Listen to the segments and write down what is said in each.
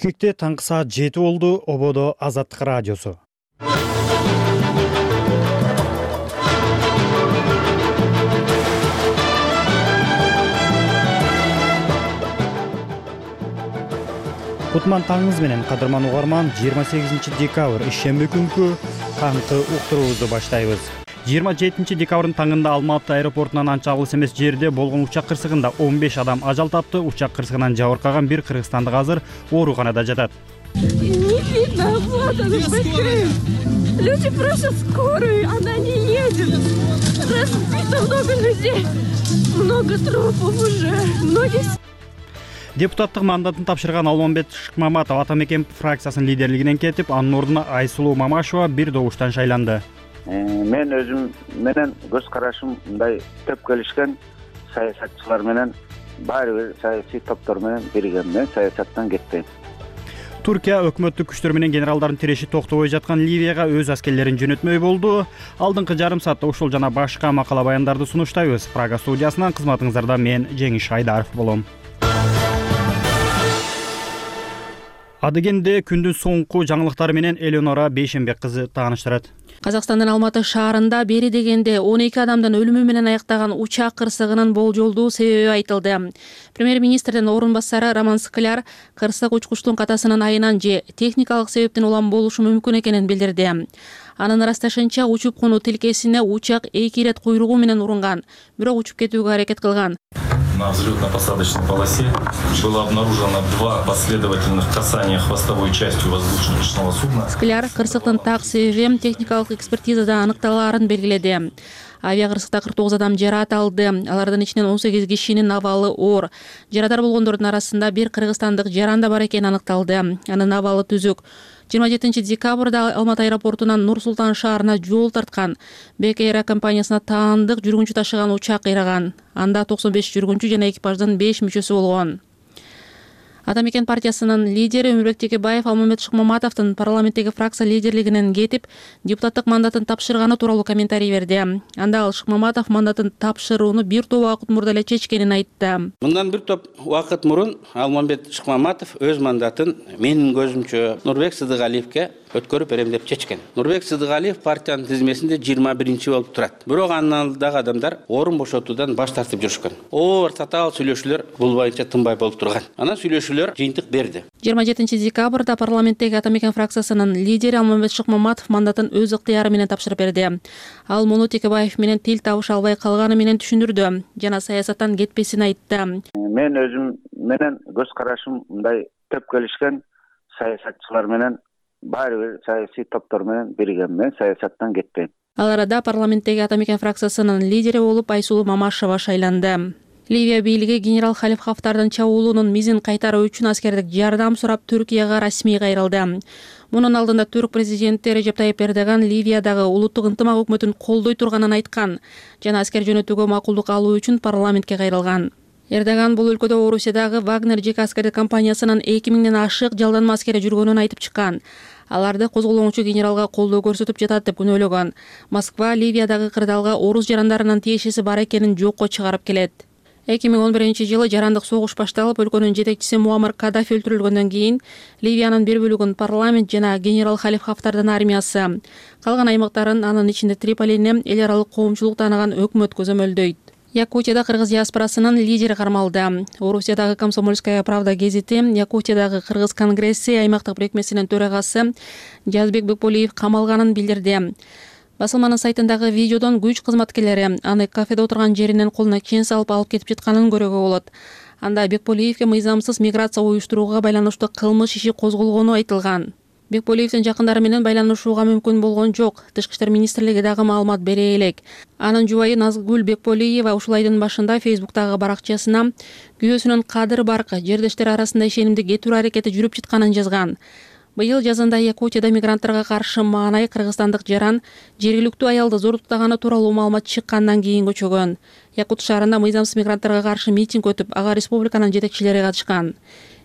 Түшүнүктө таңкы саат 7 болду. Ободо Азаттык радиосу. Кутман таңыңыз менен, кадырман угарман, 28 декабрь ишемби күнкү таңкы уктуруубузду баштайбыз. 27 декабрдын таңында Алматы аэропортунан анча алыс эмес жерде болгон учак кырсыгында 15 адам ажал тапты. Учак кырсыгынан жабыркаган бир кыргызстандык азыр ооруканада жатат. Не видно, вот он быстрее. Люди просят скорую, она не едет. Разбито много людей, много трупов уже, многих. Депутаттык мандатын тапшырган Алмамбет Шыкмаматов Атамекен фракциясынын лидерлигинен кетип, анын ордуна Айсулуу Мамашева бир добуштан шайланды. Мен өзүм менен көз карашым мындай төп келишкен саясатчылар менен, баары бир саясий топтор менен биригем. Мен саясаттан кетпейм. Туркия өкмөттүк күчтөр менен генералдардын тиреши токтобой жаткан Ливияга өз аскерлерин жөнөтмөй болду. Алдыңкы жарым саатта ушул жана башка макала баяндарды сунуштайбыз. Прага студиясынан кызматыңыздарда мен Жеңиш Айдаров болом. Адыгенде күндүн соңку жаңылыктары менен Элеонора Бейшенбек кызы тааныштырат. Казакстандын Алматы шаарында бери дегенде 12 адамдын өлүмү менен аяктаган учак кырсыгынын болжолдуу себеби айтылды. Премьер-министрдин орун басары Роман Скляр кырсык учкучтун катасынын айынан же техникалык себептен улам болушу мүмкүн экенин билдирди. Анын ырасташынча, учуп конуу тилкесине учак 2 ирет куйругу менен урунган, бирок учуп кетүүгө аракет кылган. На взлетно-посадочной полосе было обнаружено 2 последовательных касания хвостовой частью воздушно-речного судна. Скляр кырсыктын так себеби техникалык экспертизада аныкталаарын белгиледи. Авиа кырсыкта 49 адам жараат алды. Алардын ичинен 18 кишинин абалы оор. Жарадар болгондордун арасында бир кыргызстандык жаран да бар экени аныкталды. Анын абалы түзүк. 27 декабрда Алматы аэропортунан Нур-Султан шаарына жол тарткан Бек Эйр компаниясына таандык жүргүнчү ташыган учак кыйраган. Анда 95 жүргүнчү жана экипаждын 5 мүчөсү болгон. Атамекен партиясынын лидери Өмүрбек Текебаев Алмамбет Шыкмаматовдун парламенттеги фракция лидерлигинен кетип, депутаттык мандатын тапшырганы тууралуу комментарий берди. Анда ал Шыкмаматов мандатын тапшырууну бир топ убакыт мурда эле чечкенин айтты. Мындан бир топ убакыт мурун Алмамбет Шыкмаматов өз мандатын менин көзүмчө Нурбек Сыдыгалиевке өткөрүп берем деп чечкен. Нурбек Сыдыгалиев партиянын тизмесинде 21-чи болуп турат. Бирок анын алдындагы адамдар орун бошотуудан баш тартып жүрүшкөн. Оор татаал сүйлөшүүлөр бул боюнча тынбай болуп турган. Анан сүйлөшүүлөр жыйынтык берди. 27 декабрда парламенттеги Атамекен фракциясынын лидери Алмамбет Шыкмаматов мандатын өз ыктыяры менен тапшырып берди. Ал муну Текебаев менен тил табыша албай калганы менен түшүндүрдү жана саясаттан кетпесин айтты. Мен өзүм менен көз карашым мындай төп келишкен саясатчылар менен, баары бир саясий топтор менен биригем. Мен саясаттан кетпейм. Ал арада парламенттеги Атамекен фракциясынын лидери болуп Айсулуу Мамашева шайланды. Ливия бийлиги генерал Халиф Хафтардын чабуулунун мизин кайтаруу үчүн аскердик жардам сурап Түркияга расмий кайрылды. Мунун алдында түрк президенти Режеп Тайип Эрдоган Ливиядагы улуттук ынтымак өкмөтүн колдой турганын айткан жана аскер жөнөтүүгө макулдук алуу үчүн парламентке кайрылган. Эрдоган бул өлкөдө Орусиядагы Вагнер жеке аскердик компаниясынын 2000ден ашык жалданма аскери жүргөнүн айтып чыккан. Аларды козголоңчу генералга колдоо көрсөтүп жатат деп күнөөлөгөн. Москва Ливиядагы кырдаалга орус жарандарынын тиешеси бар экенин жокко чыгарып келет. 2011-жылы жарандык согуш башталып, өлкөнүн жетекчиси Муаммар Каддафи өлтүрүлгөндөн кийин Ливиянын бир бөлүгүн парламент жана генерал Халиф Хафтардын армиясы, калган аймактарын, анын ичинде Триполини, эл аралык коомчулук тааныган өкмөт көзөмөлдөйт. Якутияда кыргыз диаспорасынын лидери кармалды. Орусиядагы Комсомольская правда гезити, Якутиядагы кыргыз конгресси аймактык бирикмесинин төрагасы Жазбек Бекболиев камалганын билдирди. Басылманын сайтындагы видеодон күч кызматкерлери аны кафеде отурган жеринен колуна чен салып алып кетип жатканын көрүүгө болот. Анда Бекболиевке мыйзамсыз миграция уюштурууга байланыштуу кылмыш иши козголгону айтылган. Бекболиевдин жакындары менен байланышууга мүмкүн болгон жок. Тышкы иштер министрлиги дагы маалымат бере элек. Анын жубайы Назгүл Бекболиева ушул айдын башында Фейсбуктагы баракчасына күйөөсүнүн Кадыр Баркы жердештер арасында ишенимди кетирүү аракети жүрүп жатканын жазган. Быйыл жазында Якутияда мигранттарга каршы маанай кыргызстандык жаран жергиликтүү аялды зордуктаганы тууралуу маалымат чыккандан кийин көчөгөн. Якут шаарында мыйзамсыз мигранттарга каршы митинг өтүп, ага республиканын жетекчилери катышкан.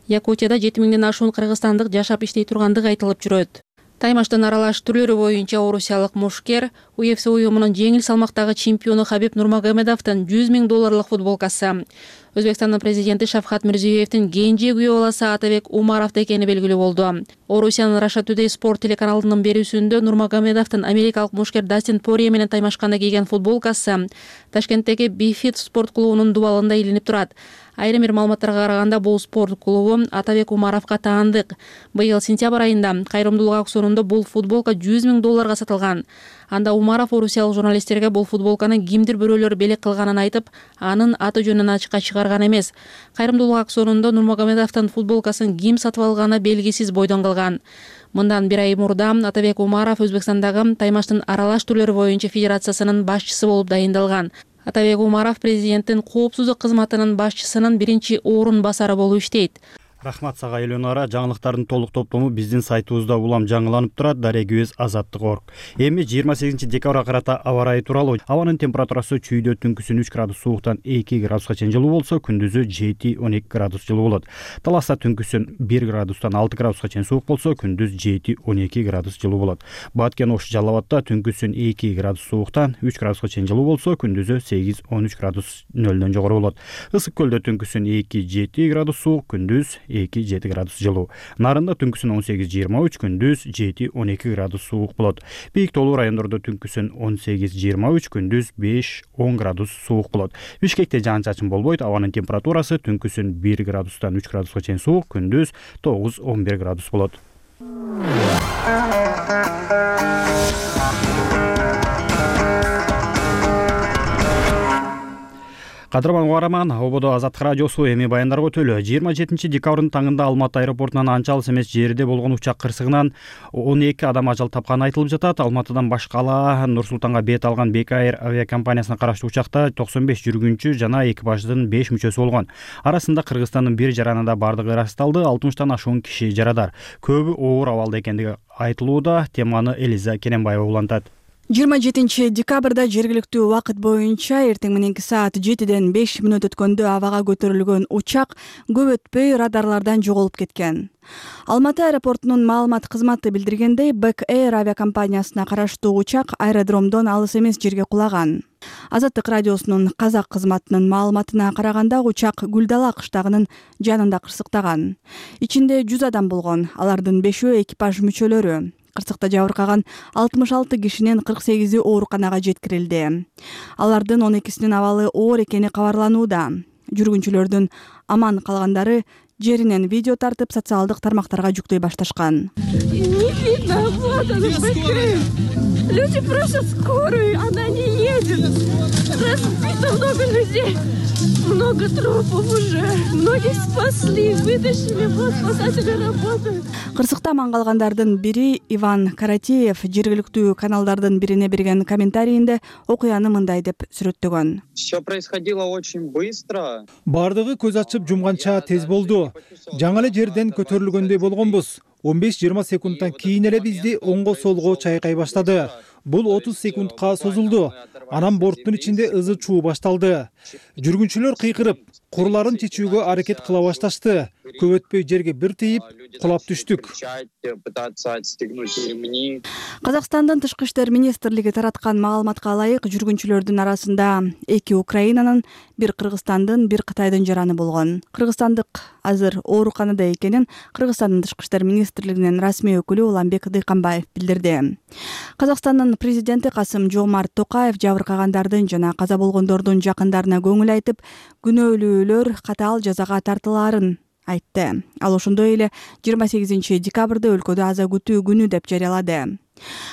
Якутияда 7000ден ашуун кыргызстандык жашап иштей тургандыгы айтылып жүрөт. Таймаштын аралаш түрлөрү боюнча орусиялык мушкер UFC уюмунун жеңил салмактагы чемпиону Хабиб Нурмагомедовдун $100 000 футболкасы. Өзбекстандын президенти Шавкат Мирзиёевдин кенже күйөө баласы Атабек Умаров экени белгилүү болду. Орусиянын Russia Today спорт телеканалынын берүүсүндө Нурмагомедовдун америкалык мушкер Дастин Порье менен таймашканда кийген футболкасы Ташкенттеги Бифит спорт клубунун дубалында илинип турат. Айрым бир маалыматтарга караганда бул спорт клубу Атабек Умаровго таандык. Быйыл сентябрь айында кайрымдуулук аукционунда бул футболка $100 000 сатылган. Анда Умаров орусиялык журналисттерге бул футболканы кимдир бирөөлөр белек кылганын айтып, анын аты жөнүн ачыкка чыгарган эмес. Кайрымдуулук аукционунда Нурмагомедовдун футболкасын ким сатып алганы белгисиз бойдон калган. Мындан бир ай мурда Атабек Умаров Өзбекстандагы таймаштын аралаш түрлөрү боюнча федерациясынын башчысы болуп дайындалган. Атабек Умаров президенттин коопсуздук кызматынын башчысынын биринчи орун басары болуп иштейт. Рахмат сага Элёнора. Жаңылыктардын толук топтому биздин сайтыбызда улам жаңыланып турат. Дарегибиз Азаттык.org. Эми 28 декабрга карата аба ырайы тууралуу. Абанын температурасы чүйдө түнкүсүн 3 градус сууктан 2 градуска чейин жылуу болсо, күндүзү 7-12 градус жылуу болот. Таласта түнкүсүн 1 градустан 6 градуска чейин суук болсо, күндүз 7-12 градус жылуу болот. Баткен Ош Жалал Абадта түнкүсүн 2 градус сууктан 3 градуска чейин жылуу болсо, күндүзү 8-13 градус нөлдөн жогору болот. Ысык көлдө түнкүсүн 2-7 градус суук, күндүз 2-7 градус жылуу. Нарында түнкүсүн 18-23, күндүз 7-12 градус суук болот. Бийик тоолуу райондордо түнкүсүн 18-23, күндүз 5-10 градус суук болот. Бишкекте жаан-чачын болбойт. Абанын температурасы түнкүсүн 1 градустан 3 градуска чейин суук, күндүз 9-11 градус болот. Кадырман угараман, ободо Азаттык радиосу эми баяндарга өтөлү. 27 декабрдын таңында Алматы аэропортунан анча алыс эмес жерде болгон учак кырсыгынан 12 адам ажал тапканы айтылып жатат. Алматыдан башкала Нур Султанга бет алган Бек Air авиакомпаниясына караштуу учакта 95 жүргүнчү жана экипаждын 5 мүчөсү болгон. Арасында Кыргызстандын бир жаранында бардыгы ырасталды. 60тан ашуун киши жарадар. Көбү оор абалда экендиги айтылууда. Теманы Элиза Керенбаева улантат. 27 декабрда жергиликтүү убакыт боюнча эртең мененки саат 7ден 5 мүнөт өткөндө абага көтөрүлгөн учак көп өтпөй радарлардан жоголуп кеткен. Алматы аэропортунун маалымат кызматы билдиргендей, Бек Air авиакомпаниясына караштуу учак аэродромдон алыс эмес жерге кулаган. Азаттык радиосунун казак кызматынын маалыматына караганда, учак Гүлдала кыштагынын жанында кырсыктаган. Ичинде 100 адам болгон, алардын 5-өө экипаж мүчөлөрү. Кырсыкта жабыркаган 66 кишинин 48-и ооруканага жеткирилди. Алардын 12синин абалы оор экени кабарланууда. Жүргүнчүлөрдүн аман калгандары жеринен видео тартып социалдык тармактарга жүктөй башташкан. Не видно, вот она, люди просят скорую, она не едет. Разбито много людей, много трупов уже. Многих спасли, вытащили, вот спасатели работают. Кырсыкта аман калгандардын бири Иван Каратеев жергиликтүү каналдардын бирине берген комментарийинде окуяны мындай деп сүрөттөгөн. Все происходило очень быстро. Бардыгы көз ачып жумганча тез болду. Жаңы эле жерден көтөрүлгөндөй болгонбуз. 15-20 секундтан кийин эле бизди оңго солго чайкай баштады. Бул 30 секундка созулду. Анан борттун ичинде ызы чуу башталды. Жүргүнчүлөр кыйкырып, курларын чечүүгө аракет кыла башташты. Көп өтпөй жерге бир тийип, кулап түштүк. Казакстандын тышкы иштер министрлиги тараткан маалыматка ылайык, жүргүнчүлөрдүн арасында 2 Украинанын, 1 Кыргызстандын, 1 Кытайдын жараны болгон. Кыргызстандык азыр ооруканада экенин Кыргызстандын тышкы иштер министрлигинин расмий өкүлү Уламбек Дыйканбаев билдирди. Казакстандын президенти Касым-Жомарт Токаев жабыркагандардын жана каза болгондордун жакындарына көңүл айтып, күнөөлүүлөр катаал жазага тартылаарын айтты. Ал ошондой эле 28 декабрда өлкөдө аза күтүү күнү деп жарыялады.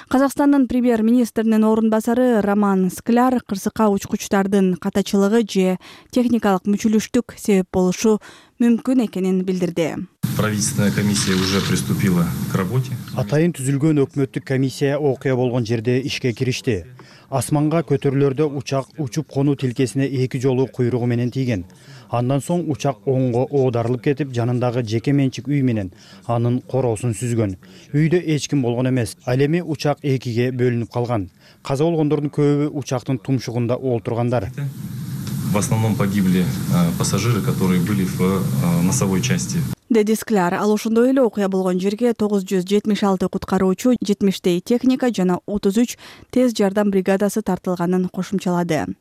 Казакстандын премьер-министринин орун басары Роман Скляр кырсыкка учкучтардын катачылыгы же техникалык мүчүлүштүк себеп болушу мүмкүн экенин билдирди. Правительственная комиссия уже приступила к работе. Атайын түзүлгөн өкмөттүк комиссия окуя болгон жерде ишке киришти. Асманга көтөрүлөрдө учак учуп конуу тилкесине 2 жолу куйругу менен тийген. Андан соң учак оңго оодарылып кетип, жанындагы жеке менчик үй менен анын короосун сүзгөн. Үйдө эч ким болгон эмес. Ал эми учак 2ге бөлүнүп калган. Каза болгондордун көбү учактын тумшугунда олтургандар. В основном погибли пассажиры, которые были в носовой части. деди Скляр. Ал ошондой эле окуя болгон жерге 976 куткаруучу, 70 техника жана 33 тез жардам бригадасы тартылганын кошумчалады.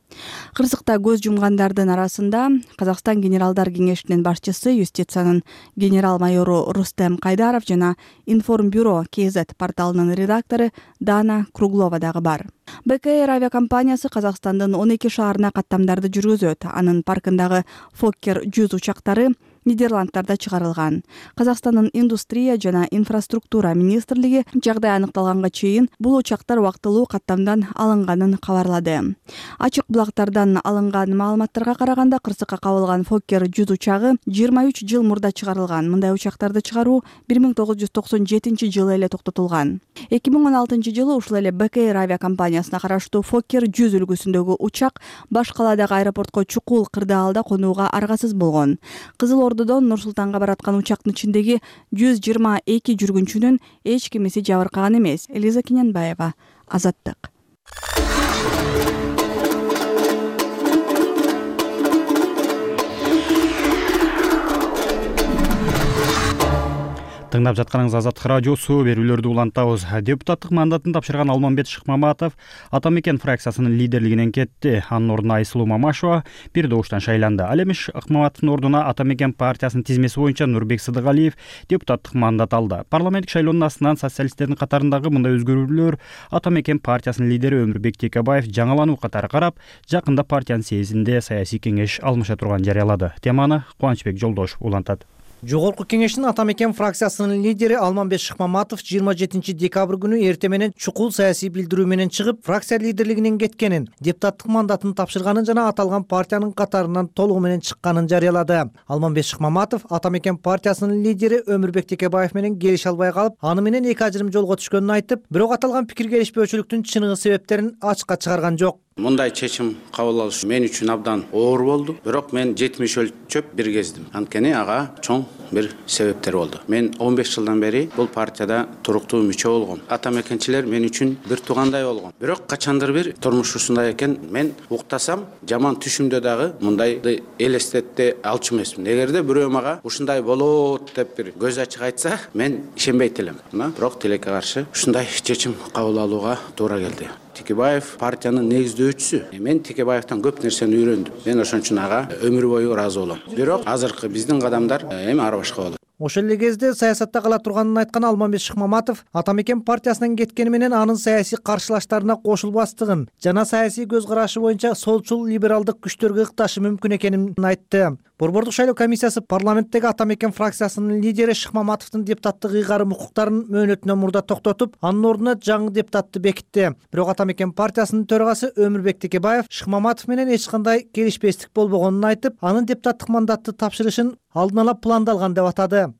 Кырсыкта көз жумгандардын арасында Казакстан генералдар кеңешинин башчысы, юстициянын генерал-майору Рустем Кайдаров жана Информбюро КЗ порталынын редактору Дана Круглова дагы бар. БКР авиакомпаниясы Казакстандын 12 шаарына каттамдарды жүргүзөт. Анын паркындагы Fokker 100 учактары Нидерландтарда чыгарылган. Казакстандын индустрия жана инфраструктура министрлиги жагдай аныкталганга чейин бул учактар убактылуу каттамдан алынганын кабарлады. Ачык булактардан алынган маалыматтарга караганда, кырсыкка кабылган Fokker 100 учагы 23 жыл мурда чыгарылган. Мындай учактарды чыгаруу 1997 жылы эле токтотулган. 2016 жылы ушул эле БКР авиакомпаниясына караштуу Fokker 100 үлгүсүндөгү учак баш каладагы аэропортко чукул кырдаалда конууга аргасыз болгон. Кызыл Ордодон Нур-Султанга бараткан учактын ичиндеги 122 жүргүнчүнүн эч кимиси жабыркаган эмес. Элиза Кененбаева, Азаттык. Тыңдап жатканыңыз Азаттык радиосу, берүүлөрдү улантабыз. Депутаттык мандатын тапшырган Алмамбет Шыкмаматов Атамекен фракциясынын лидерлигинен кетти. Анын ордуна Айсулуу Мамашева бир добуштан шайланды. Ал эми Шыкмаматовдун ордуна Атамекен партиясынын тизмеси боюнча Нурбек Сыдыгалиев депутаттык мандат алды. Парламенттик шайлоонун астынан социалисттердин катарындагы мындай өзгөрүүлөр Атамекен партиясынын лидери Өмүрбек Текебаев жаңылануу катары карап, жакында партиянын съездинде саясий кеңеш алмаша турганын жарыялады. Теманы Кубанычбек Жолдошев улантат. Жогорку кеңештин Атамекен фракциясынын лидери Алмамбет Шыкмаматов 27 декабрь күнү эртең менен чукул саясий билдирүү менен чыгып, фракция лидерлигинен кеткенин, депутаттык мандатын тапшырганын жана аталган партиянын катарынан толугу менен чыкканын жарыялады. Алмамбет Шыкмаматов Атамекен партиясынын лидери Өмүрбек Текебаев менен келише албай калып, аны менен эки ажырым жолго түшкөнүн айтып, бирок аталган пикир келишпөөчүлүктүн чыныгы себептерин ачыкка чыгарган жок. Мындай чечим кабыл алыш мен үчүн абдан оор болду. Бирок мен 70 өлчөп бир кездим. Анткени ага чоң бир себептер болду. Мен 15 жылдан бери бул партияда туруктуу мүчө болгом. Атамекенчилер мен үчүн бир туугандай болгон. Бирок качандыр бир турмуш ушундай экен, мен уктасам жаман түшүмдө дагы мындайды элестетте алчу эмесмин. Эгерде бирөө мага ушундай болот деп бир көз ачык айтса, мен ишенбейт элем. Бирок тилекке каршы ушундай чечим кабыл алууга туура келди. Текебаев партиянын негиздөөчүсү. Мен Текебаевтан көп нерсени үйрөндүм. Мен ошон үчүн ага өмүр бою ыраазы болом. Бирок азыркы биздин кадамдар эми ара башка болот. Ошол эле кезде саясатта кала турганын айткан Алмамбет Шыкмаматов Атамекен партиясынан кеткени менен анын саясий каршылаштарына кошулбастыгын жана саясий көз карашы боюнча солчул либералдык күчтөргө ыкташы мүмкүн экенин айтты. Борбордук шайлоо комиссиясы парламенттеги Атамекен фракциясынын лидери Шыкмаматовдун депутаттык ыйгарым укуктарын мөөнөтүнөн мурда токтотуп, анын ордуна жаңы депутатты бекитти. Бирок Атамекен партиясынын төрагасы Өмүрбек Текебаев Шыкмаматов менен эч кандай келишпестик болбогонун айтып, анын депутаттык мандатты тапшырышын алдын ала пландалган деп атады.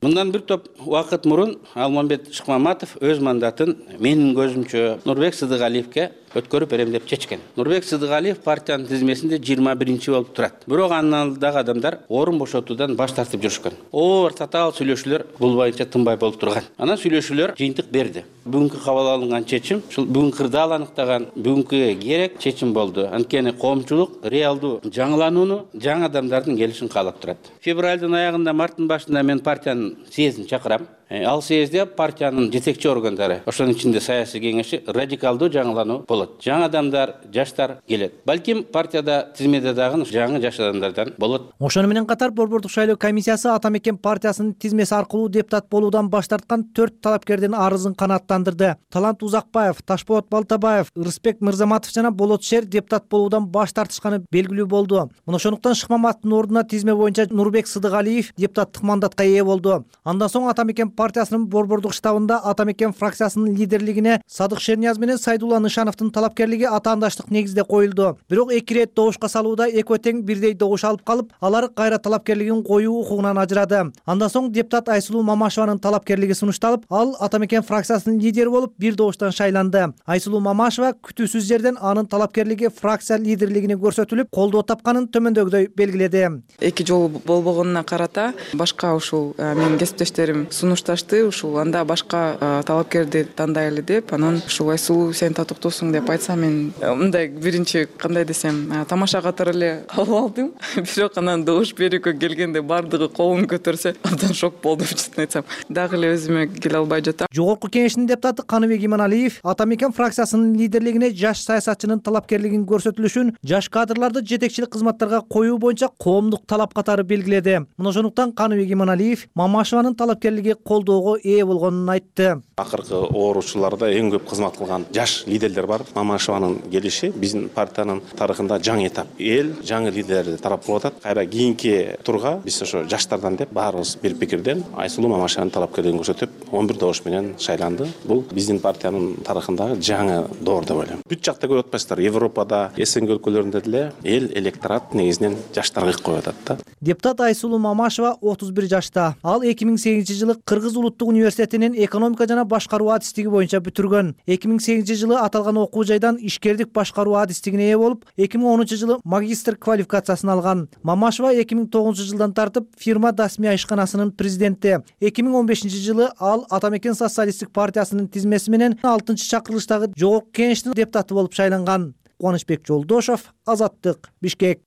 Мындан бир топ убакыт мурун Алмамбет Шыкмаматов өз мандатын менин көзүмчө Нурбек Сыдыгалиевке өткөрүп берем деп чечкен. Нурбек Сыдыгалиев партиянын тизмесинде 21 болуп турат. Бирок анын алдындагы адамдар орун бошотуудан баш тартып жүрүшкөн. Оор татаал сүйлөшүүлөр бул боюнча тынбай болуп турган. Анан сүйлөшүүлөр жыйынтык берди. Бүгүнкү кабыл алынган чечим, ушул бүгүн кырдаал аныктаган бүгүнкү керек чечим болду. Анткени коомчулук реалдуу жаңыланууну, жаңы адамдардын келишин каалап турат. Февралдын аягында, марттын башында мен партиянын съездин чакырам. Ал съезде партиянын жетекчи органдары, ошонун ичинде саясий кеңеши радикалдуу жаңылануу болот. Жаңы адамдар, жаштар келет. Балким партияда тизмеде дагы жаңы жаш адамдардан болот. Ошону менен катар Борбордук шайлоо комиссиясы Атамекен партиясынын тизмеси аркылуу депутат болуудан баш тарткан 4 талапкердин арызын канааттандырды. Талант Узакбаев, Ташболот Балтабаев, Рыспек Мырзаматов жана Болот Шер депутат болуудан баш тартышканы белгилүү болду. Мына ошондуктан Шыкмаматовдун ордуна тизме боюнча Нурбек Сыдыгалиев депутаттык мандатка ээ болду. Андан соң Атамекен партиясынын борбордук штабында Атамекен фракциясынын лидерлигине Садык Шернияз менен Сайдулла Нышановдун талапкерлиги атаандаштык негизде коюлду. Бирок эки ирет добушка салууда экөө тең бирдей добуш алып калып, алар кайра талапкерлигин коюу укугунан ажырады. Андан соң депутат Айсулуу Мамашеванын талапкерлиги сунушталып, ал Атамекен фракциясынын лидери болуп бир добуштан шайланды. Айсулуу Мамашева күтүүсүз жерден анын талапкерлиги фракция лидерлигине көрсөтүлүп, колдоо тапканын төмөндөгүдөй белгиледи. Эки жолу болбогонуна карата башка ушул менин кесиптештерим сунуштап башташты. Ушул анда башка талапкерди тандайлы деп, анан ушул Айсулуу сен татыктуусуң деп айтсам, мен мындай биринчи кандай десем, тамаша катары эле кабыл алдым. Бирок анан добуш берүүгө келгенде бардыгы колун көтөрсө, абдан шок болдум, чынын айтсам. Дагы эле өзүмө келе албай жатам. Жогорку кеңештин депутаты Каныбек Иманалиев Ата Мекен фракциясынын лидерлигине жаш саясатчынын талапкерлигин көрсөтүлүшүн жаш кадрларды жетекчилик кызматтарга коюу боюнча коомдук талап катары белгиледи. Мына ошондуктан Каныбек Иманалиев Мамашеванын талапкерлиги колдоого ээ болгонун айтты. Акыркы ооручуларда эң көп кызмат кылган жаш лидерлер бар. Мамашеванын келиши биздин партиянын тарыхында жаңы этап. Эл жаңы лидерлерди тарап кылып атат. Кайра кийинки турга биз ошо жаштардан деп баарыбыз бир пикирден Айсулуу Мамашеванын талапкерлигин көрсөтүп 11 добуш менен шайланды. Бул биздин партиянын тарыхындагы жаңы доор деп ойлойм. Бүт жакта көрүп атпайсыздар, Европада, СНГ өлкөлөрүндө деле эл электорат негизинен жаштарга ик коюп атат да. Депутат Айсулуу Мамашева 31 жашта. Ал 2008-жылы Кыргыз улуттук университетинин экономика жана башкаруу адистиги боюнча бүтүргөн. 2008-жылы аталган окуу жайдан ишкердик башкаруу адистигине ээ болуп, 2010-жылы магистр квалификациясын алган. Мамашева 2009-жылдан тартып фирма Дасмия ишканасынын президенти. 2015-жылы ал Ата Мекен социалисттик партиясынын тизмеси менен 6-чакырылыштагы жогорку кеңештин депутаты болуп шайланган. Кубанычбек Жолдошов, Азаттык, Бишкек.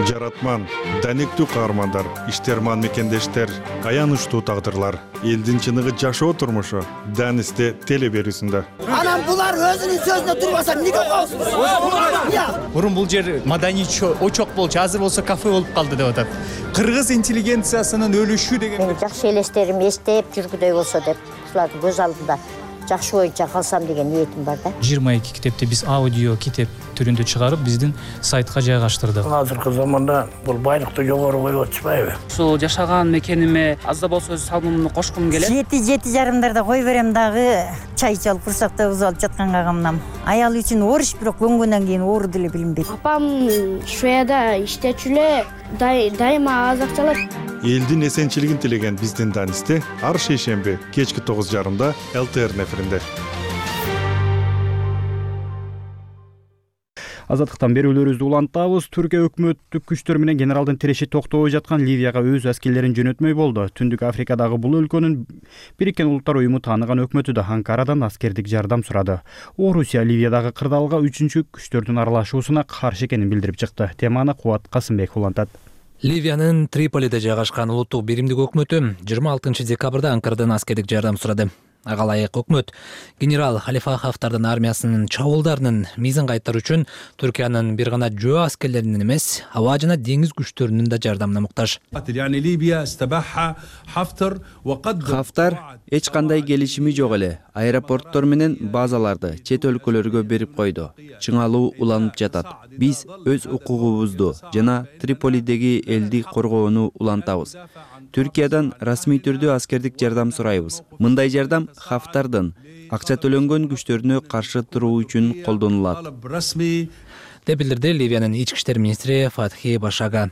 Жаратман, даниктүү каармандар, иштерман мекендештер, аянычтуу тагдырлар, элдин чыныгы жашоо турмушу Данисте теле берүүсүндө. Анан булар өзүнүн сөзүнө турбаса эмнеге коесуз? Мурун бул жер маданий очок болчу, азыр болсо кафе болуп калды деп атат. Кыргыз интеллигенциясынын өлүшү деген. Мен жакшы элестерим эстеп жүргүдөй болсо деп, ушулардын көз алдында жакшы боюнча калсам деген ниетим бар да. 22 китепти биз аудио китеп түрүндө чыгарып биздин сайтка жайгаштырдык. Азыркы заманда бул байлыкты жогору коюп атышпайбы? Ушул жашаган мекениме аз да болсо өз салымымды кошкум келет. 7-7:30 кой берем дагы чай чалып курсакта алып жатканга камнам. Аял үчүн ориш, бирок көнгөндөн кийин оор деле билинбейт. Апам Шведияда иштечү эле, дайыма аз акча алат. Элдин эсенчилигин тилеген биздин Данисте ар шейшемби кечки 9:30 ЛТР эфиринде. Азаттыктан берүүлөрүбүздү улантабыз. Түркия өкмөттүк күчтөр менен генералдын тиреши токтобой жаткан Ливияга өз аскерлерин жөнөтмөй болду. Түндүк Африкадагы бул өлкөнүн Бириккен Улуттар уюму тааныган өкмөтү да Анкарадан аскердик жардам сурады. Орусия Ливиядагы кырдаалга 3-чү күчтөрдүн аралашуусуна каршы экенин билдирип чыкты. Теманы Кубат Касымбек улантат. Ливиянын Триполиде жайгашкан улуттук биримдик өкмөтү 26 декабрда Анкарадан аскердик жардам сурады. Ага ылайык өкмөт генерал Халифа Хафтардын армиясынын чабуулдарынын мизин кайтаруу үчүн Түркиянын бир гана жөө аскерлеринин эмес, аба жана деңиз күчтөрүнүн да жардамына муктаж. Хафтар эч кандай келишими жок эле аэропорттор менен базаларды чет өлкөлөргө берип койду. Чыңалуу уланып жатат. Биз өз укугубузду жана Триполидеги элди коргоону улантабыз. Түркиядан расмий түрдө аскердик жардам сурайбыз. Мындай жардам Хафтардын акча төлөнгөн күчтөрүнө каршы туруу үчүн колдонулат, деп билдирди Ливиянын ички иштер министри Фатхи Башага.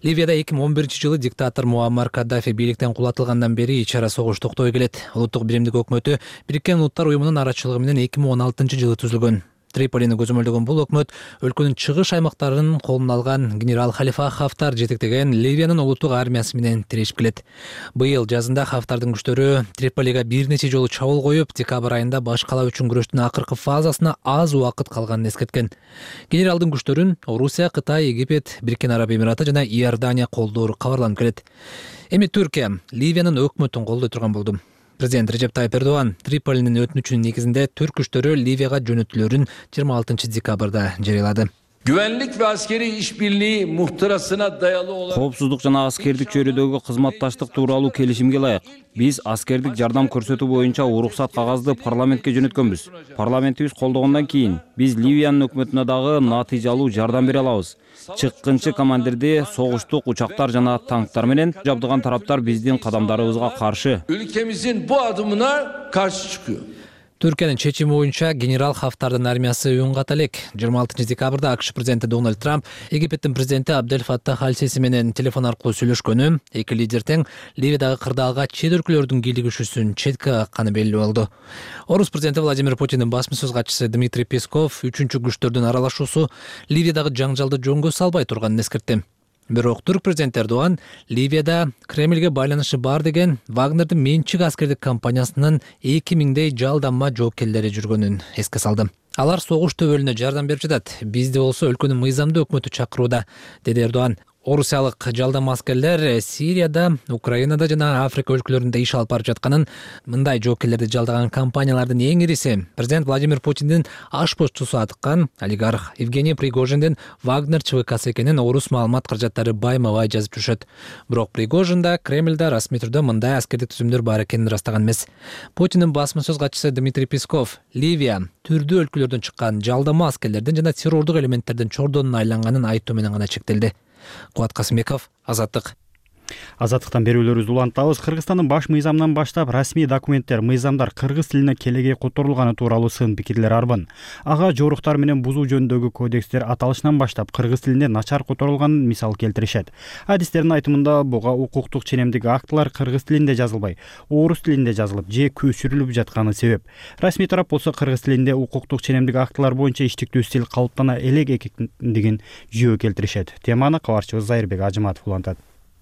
Ливияда 2011-жылы диктатор Муаммар Каддафи бийликтен кулатылгандан бери ич ара согуш токтой келет. Улуттук биримдик өкмөтү Бириккен Улуттар уюмунун арачылыгы менен 2016-жылы түзүлгөн. Триполини көзөмөлдөгөн бул өкмөт өлкөнүн чыгыш аймактарын колуна алган генерал Халифа Хафтар жетектеген Ливиянын улуттук армиясы менен тирешип келет. Быйыл жазында Хафтардын күчтөрү Триполига бир нече жолу чабуул коюп, декабрь айында баш кала үчүн күрөштүн акыркы фазасына аз убакыт калганын эскерткен. Генералдын күчтөрүн Орусия, Кытай, Египет, Бириккен Араб Эмираты жана Иордания колдоору кабарланып келет. Эми Түркия Ливиянын өкмөтүн колдой турган болду. Президент Режеп Тайып Эрдоган Триполинин өтүнүчүнүн негизинде түрк күчтөрү Ливияга жөнөтүлөрүн 26 декабрда жарыялады. Güvenlik ve askeri işbirliği muhtırasına dayalı olan Коопсуздук жана аскердик чөйрөдөгү кызматташтык тууралуу келишимге ылайык биз аскердик жардам көрсөтүү боюнча уруксат кагазды парламентке жөнөткөнбүз. Парламентибиз колдогондон кийин биз Ливиянын өкмөтүнө дагы натыйжалуу жардам бере алабыз. Чыккынчы командирди согуштук учактар жана танктар менен жабдыган тараптар биздин кадамдарыбызга каршы. Ülkemizin bu adımına karşı çıkıyor. Түркиянын чечими боюнча генерал Хафтардын армиясы үн ката элек. 26 декабрда АКШ президенти Дональд Трамп Египеттин президенти Абдель Фаттах Аль-Сиси менен телефон аркылуу сүйлөшкөнү, эки лидер тең Ливиядагы кырдаалга чет өлкөлөрдүн кийлигишүүсүн четке какканы белгилүү болду. Орус президенти Владимир Путиндин басма сөз катчысы Дмитрий Песков 3-күчтөрдүн аралашуусу Ливиядагы жаңжалды жөнгө салбай турганын эскертти. Бирок түрк президенти Эрдоган Ливияда Кремлге байланышы бар деген Вагнердин менчик аскердик компаниясынын 2000дей жалданма жоокерлери жүргөнүн эске салды. Алар согуш төбөлүнө жардам берип жатат. Бизди болсо өлкөнүн мыйзамдуу өкмөтү чакырууда, деди Эрдоган. Орусиялык жалдама аскерлер Сирияда, Украинада жана Африка өлкөлөрүндө иш алып барып жатканын, мындай жоокерлерди жалдаган компаниялардын эң ириси президент Владимир Путиндин ашпозчусу аткан олигарх Евгений Пригожиндин Вагнер ЧВКсы экенин орус маалымат каражаттары байма-бай жазып жүрүшөт. Бирок Пригожин да Кремльде расмий түрдө мындай аскердик түзүмдөр бар экенин ырастаган эмес. Путиндин басма сөз катчысы Дмитрий Песков Ливия түрдүү өлкөлөрдөн чыккан жалдама аскерлердин жана террордук элементтердин чордонуна айланганын айтуу менен гана чектелди. Кубат Касымбеков, Азаттык. Азаттыктан берүүлөрүбүздү улантабыз. Кыргызстандын баш мыйзамынан баштап расмий документтер, мыйзамдар кыргыз тилине келегей которулганы тууралуу сын пикирлер арбын. Ага жоруктар менен бузуу жөнүндөгү кодекстер аталышынан баштап кыргыз тилинде начар которулганын мисал келтиришет. Адистердин айтымында буга укуктук ченемдик актылар кыргыз тилинде жазылбай, орус тилинде жазылып же көчүрүлүп жатканы себеп. Расмий тарап болсо кыргыз тилинде укуктук ченемдик актылар боюнча иштиктүү стиль калыптана элек экендигин жөө келтиришет. Теманы кабарчыбыз Зайырбек Ажыматов улантат.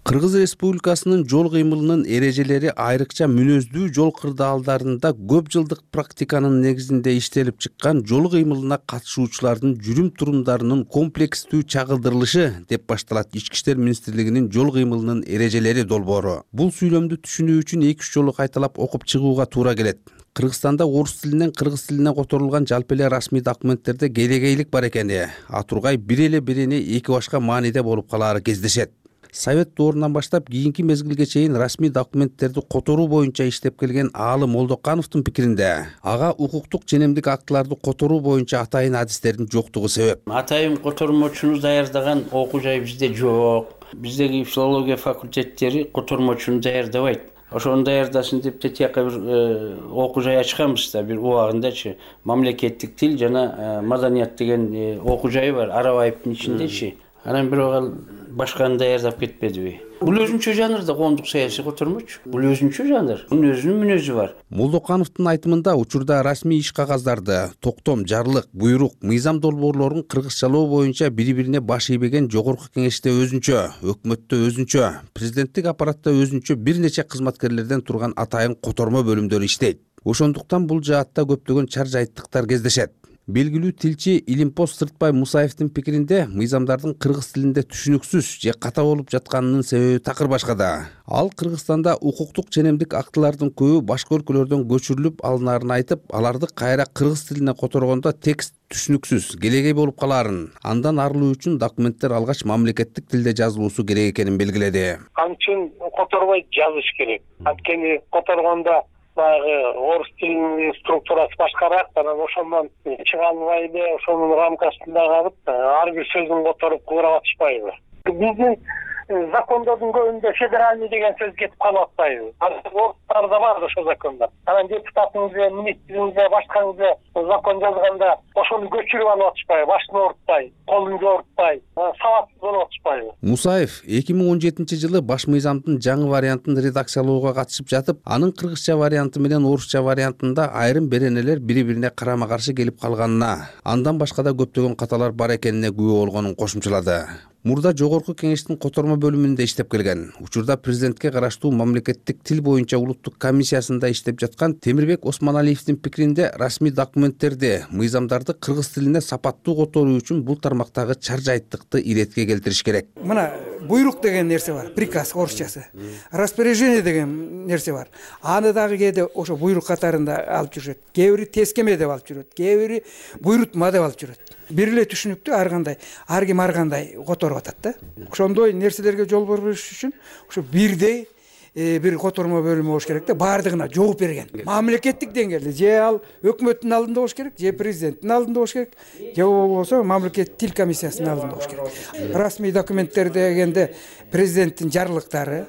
Кыргыз Республикасынын жол кыймылынын эрежелери айрыкча мүнөздүү жол кырдаалдарында көп жылдык практиканын негизинде иштелип чыккан жол кыймылына катышуучулардын жүрүм-турумдарынын комплекстүү чагылдырылышы деп башталат Ички иштер министрлигинин жол кыймылынын эрежелери долбоору. Бул сүйлөмдү түшүнүү үчүн 2-3 жолу кайталап окуп чыгууга туура келет. Кыргызстанда орус тилинен кыргыз тилине которулган жалпы эле расмий документтерде келегейлик бар экени, атургай бир эле биrini эки башка мааниде болуп калаары кездешет. Совет доорунан баштап кийинки мезгилге чейин расмий документтерди которуу боюнча иштеп келген Аалы Молдокановдун пикиринде, ага укуктук ченемдик актыларды которуу боюнча атайын адистердин жоктугу себеп. Атайын котормочуну даярдаган окуу жай бизде жок. Биздеги филология факультеттери котормочуну даярдабайт. Ошону даярдасын деп тияка бир окуу жай ачканбыз да, бир убагындачы. Мамлекеттик тил жана маданият деген окуу жайы бар Арабаевдин ичиндечи. Анан бирок ал башканы даярдап кетпедиби? Бул өзүнчө жанр да коомдук саясий котормочу. Бул өзүнчө жанр. Мунун өзүнүн мүнөзү бар. Молдокановдун айтымында учурда расмий иш кагаздарды, токтом, жарлык, буйрук, мыйзам долбоорлорун кыргызчалоо боюнча бири-бирине баш ийбеген жогорку кеңеште өзүнчө, өкмөттө өзүнчө, президенттик аппаратта өзүнчө бир нече кызматкерлерден турган атайын котормо бөлүмдөр иштейт. Ошондуктан бул жаатта көптөгөн чар жайттыктар кездешет. Белгилүү тилчи Илимпоз Сыртбай Мусаевдин пикиринде, мыйзамдардын кыргыз тилинде түшүнүксүз же ката болуп жатканынын себеби такыр башкада. Ал Кыргызстанда укуктук ченемдик актылардын көбү башка өлкөлөрдөн көчүрүлүп алынаарын айтып, аларды кайра кыргыз тилине которгондо текст түшүнүксүз, келегей болуп калаарын, андан арылуу үчүн документтер алгач мамлекеттик тилде жазылуусу керек экенин белгиледи. Анчын которбой жазыш керек. Анткени которгондо орус тилинин структурасы башкараак, анан ошондон чыга албайбы, ошонун рамкасында калып, ар бир сөзүн которуп куура батышпайбы. Биздин закондордун көбүндө федеральный деген сөз кетип калып атпайбы? Орустарда бар ошо закондор. Анан депутатыңыз, министриңиз, башкаңыз закон жазганда ошону көчүрүп алып атышпайбы? Башын оорутпай, колун жоорутпай, сабатсыз болуп атышпайбы? Мусаев 2017-жылы баш мыйзамдын жаңы вариантын редакциялоого катышып жатып, анын кыргызча варианты менен орусча вариантында айрым беренелер бири-бирине карама-каршы келип калганына, андан башка да көптөгөн каталар бар экенине күбө болгонун кошумчалады. Мурда жогорку кеңештин котормо бөлүмүндө иштеп келген. Учурда президентке караштуу мамлекеттик тил боюнча улуттук комиссиясында иштеп жаткан Темирбек Осмоналиевдин пикиринде, расмий документтерди, мыйзамдарды кыргыз тилине сапаттуу которуу үчүн бул тармактагы чар жайттыкты иретке келтириш керек. Мына буйрук деген нерсе бар, приказ орусчасы. Распоряжение деген нерсе бар. Аны дагы кээде ошо буйрук катарында алып жүрөт. Кээ бири тескеме деп алып жүрөт, кээ бири буйрутма деп алып жүрөт. Бир эле түшүнүктүү ар кандай, ар ким ар кандай которуп атат да. Ошондой нерселерге жол бербеш үчүн ошо бирдей бир котормо бөлүмү болуш керек да, баардыгына жооп берген. Мамлекеттик деңгээлде же ал өкмөттүн алдында болуш керек, же президенттин алдында болуш керек, же болбосо мамлекеттик тил комиссиясынын алдында болуш керек. Расмий документтер дегенде президенттин жарлыктары,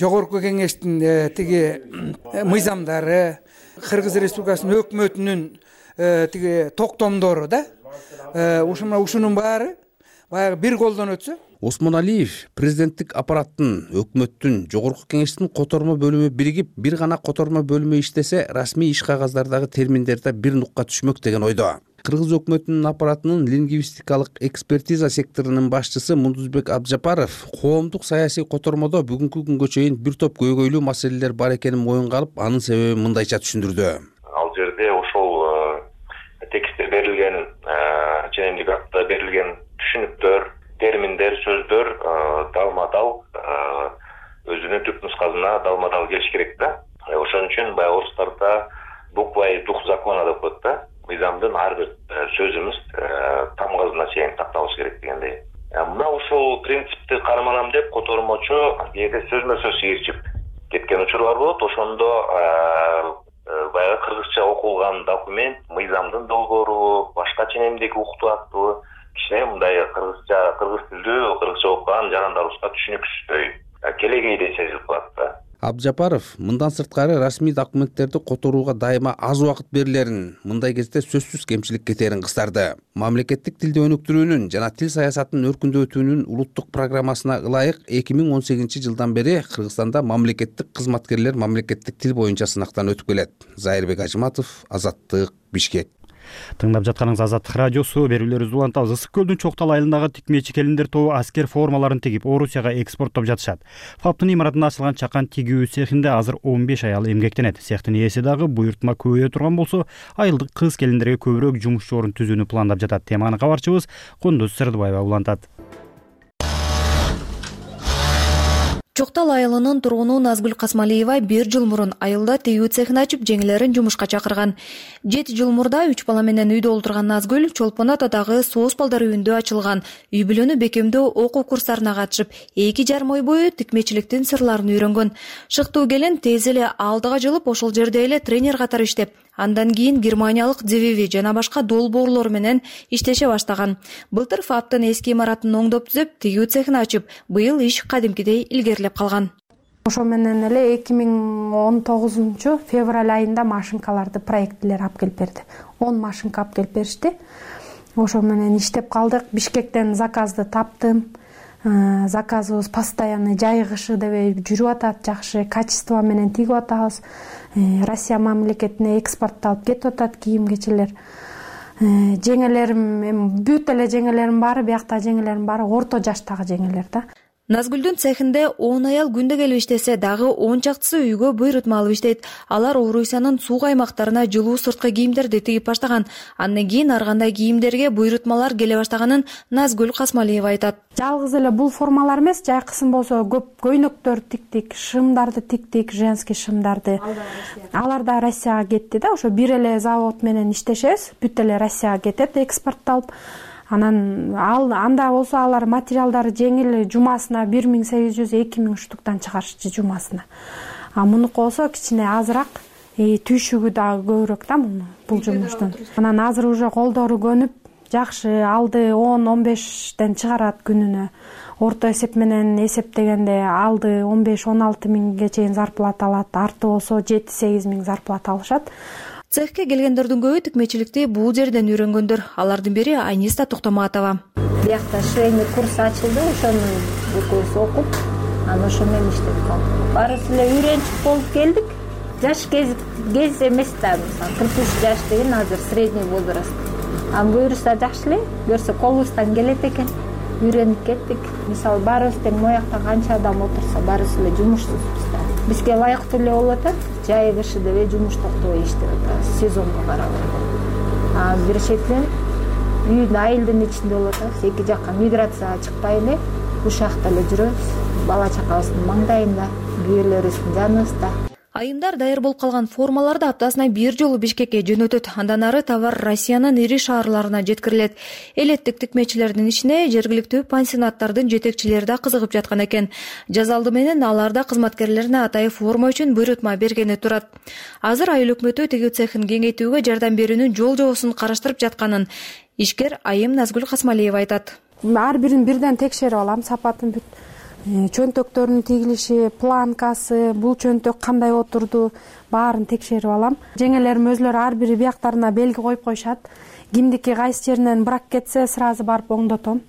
жогорку кеңештин тиги мыйзамдары, Кыргыз Республикасынын өкмөтүнүн тиги токтомдору да, ушунун баары баягы бир колдон өтсө. Осмоналиев президенттик аппараттын, өкмөттүн, жогорку кеңештин котормо бөлүмү биригип, бир гана котормо бөлүмү иштесе, расмий иш кагаздардагы терминдерде бир нукка түшмөк деген ойдо. Кыргыз өкмөтүнүн аппаратынын лингвистикалык экспертиза секторунун башчысы Мундузбек Абжапаров коомдук саясий котормодо бүгүнкү күнгө чейин бир топ көйгөйлүү маселелер бар экенин моюнга алып, анын себебин мындайча түшүндүрдү. Ал жерде ошол текстте берилген, ченемдик акта берилген түшүнүктөр, терминдер, сөздөр далма-дал өзүнүн түп нускасына далма-дал келиш керек да. Ошон үчүн баягы орустарда буква и дух закона деп коет да. Мыйзамдын ар бир сөзүбүз тамгасына чейин такталыш керек дегендей. Мына ошол принципти карманам деп котормочу кээде сөзмө-сөз ээрчип кеткен учурлар болот. Ошондо баягы кыргызча окулган документ, мыйзамдын долбоору, башка ченемдик уктуу актуу кичине мындай кыргыз тилдүү, кыргызча окуган жарандарыбызга түшүнүксүздөй келегейдей сезилип калат да. Абжапаров мындан сырткары расмий документтерди которууга дайыма аз убакыт берилерин, мындай кезде сөзсүз кемчилик кетерин кыстарды. Мамлекеттик тилди өнүктүрүүнүн жана тил саясатынын өркүндөтүүнүн улуттук программасына ылайык 2018-жылдан бери Кыргызстанда мамлекеттик кызматкерлер мамлекеттик тил боюнча сынактан өтүп келет. Зайырбек Ажыматов, Азаттык, Бишкек. Тыңдап жатканыңыз Азаттык радиосу. Берүүлөрүбүздү улантабыз. Ысык көлдүн Чоктал айылындагы тикмечи келиндер тобу аскер формаларын тигип Орусияга экспорттоп жатышат. ФАПтын имаратында ачылган чакан тигүү цехинде азыр 15 аял эмгектенет. Цехтин ээси дагы буйртма көбөйө турган болсо, айылдык кыз келиндерге көбүрөөк жумуш орун түзүүнү пландап жатат. Теманы кабарчыбыз Кундуз Сырдыбаева улантат. Чоктал айылынын тургуну Назгүл Касмалиева 1 жыл мурун айылда тигүү цехин ачып, жеңелерин жумушка чакырган. 7 жыл мурда 3 бала менен үйдө олтурган Назгүл Чолпон атадагы Соос балдар үйүндө ачылган үй бүлөнү бекемдөө окуу курстарына катышып, 2,5 ой бою тикмечиликтин сырларын үйрөнгөн. Шыктуу келин тез эле алдыга жылып, ошол жерде эле тренер катары иштеп, андан кийин германиялык Дзевиви жана башка долбоорлор менен иштеше баштаган. Былтыр ФАПтын эски имаратын оңдоп түзөп, тигүү цехин ачып, быйыл иш кадимкидей илгерилеп калган. Ошо менен эле 2019 февраль айында машинкаларды проектлер алып келип берди. 10 машинка алып келип беришти. Ошо менен иштеп калдык. Бишкектен заказды таптым. Заказыбыз постоянно жай кышы дебей жүрүп атат, жакшы качество менен тигип атабыз. Россия мамлекетине экспортталып кетип атат кийим-кечелер. Жеңелерим, бүт эле жеңелерим баары, биякта жеңелерим баары орто жаштагы жеңелер да. Назгүлдүн цехинде 10 аял күндө келип иштесе, дагы 10 чактысы үйгө буйрутма алып иштейт. Алар Орусиянын суук аймактарына жылуу сырткы кийимдерди тигип баштаган. Андан кийин ар кандай кийимдерге буйрутмалар келе баштаганын Назгүл Касмалиева айтат. Жалгыз эле бул формалар эмес, жайкысын болсо көп көйнөктөр тиктик, шымдарды тиктик, женский шымдарды. Алар да Россияга кетти да, ошо бир эле завод менен иштешебиз, бүт эле Россияга кетет экспортталып. Анан анда болсо алар материалдары жеңил, жумасына 1800-2000 штуктан чыгарышчы жумасына. Мунуку болсо кичине азыраак, түйшүгү дагы көбүрөөк да бул жумуштун. Анан азыр уже колдору көнүп, жакшы алды 10-15ден чыгарат күнүнө. Орто эсеп менен эсептегенде алды 15-16 миңге чейин зарплата алат, арты болсо 7-8 миң зарплата алышат. Цехке келгендердин көбү тикмечиликти бул жерден үйрөнгөндөр. Алардын бири Аниста Токтоматова. Биякта швейный курс ачылды, ошонун экөөбүз окуп, анан ошо менен иштеп калдык. Баарыбыз эле үйрөнчүк болуп келдик. Жаш кез эмес да, мисалы 43 жаш деген азыр средний возраст. Буюрса жакшы эле, көрсө колубуздан келет экен. Үйрөнүп кеттик. Мисалы баарыбыз тең моякта канча адам отурса, баарыбыз эле жумушсузбуз да. Бизге ылайыктуу эле болуп атат. Жай кышы дебей жумуш токтобой иштеп атабыз, сезонго карабай. Бир шектен үйдүн айылдын ичинде болуп атабыз, эки жакка миграцияга чыкпай эле ушакта эле жүрөбүз. Бала чакабыздын маңдайында, күйөөлөрүбүздүн жаныбызда. Айымдар даяр болуп калган формаларды аптасына 1 жолу Бишкекке жөнөтөт. Андан ары товар Россиянын ири шаарларына жеткирилет. Элеттик тикмечилердин ичине жергиликтүү пансионаттардын жетекчилери да кызыгып жаткан экен. Жаз алды менен алар да кызматкерлерине атайын форма үчүн буйрутма бергени турат. Азыр айыл өкмөтү тигүү цехин кеңейтүүгө жардам берүүнүн жол-жобосун караштырып жатканын ишкер айым Назгүл Касмалиева айтат. Ар бирин бирден текшерип алам, сапатын бүт. Чөнтөктөрүнүн тигилиши, планкасы, бул чөнтөк кандай отурду, баарын текшерип алам. Жеңелерим өзлөрү ар бири бияктарына белги коюп коюшат. Кимдики кайсы жеринен брак кетсе, сразу барып оңдотом.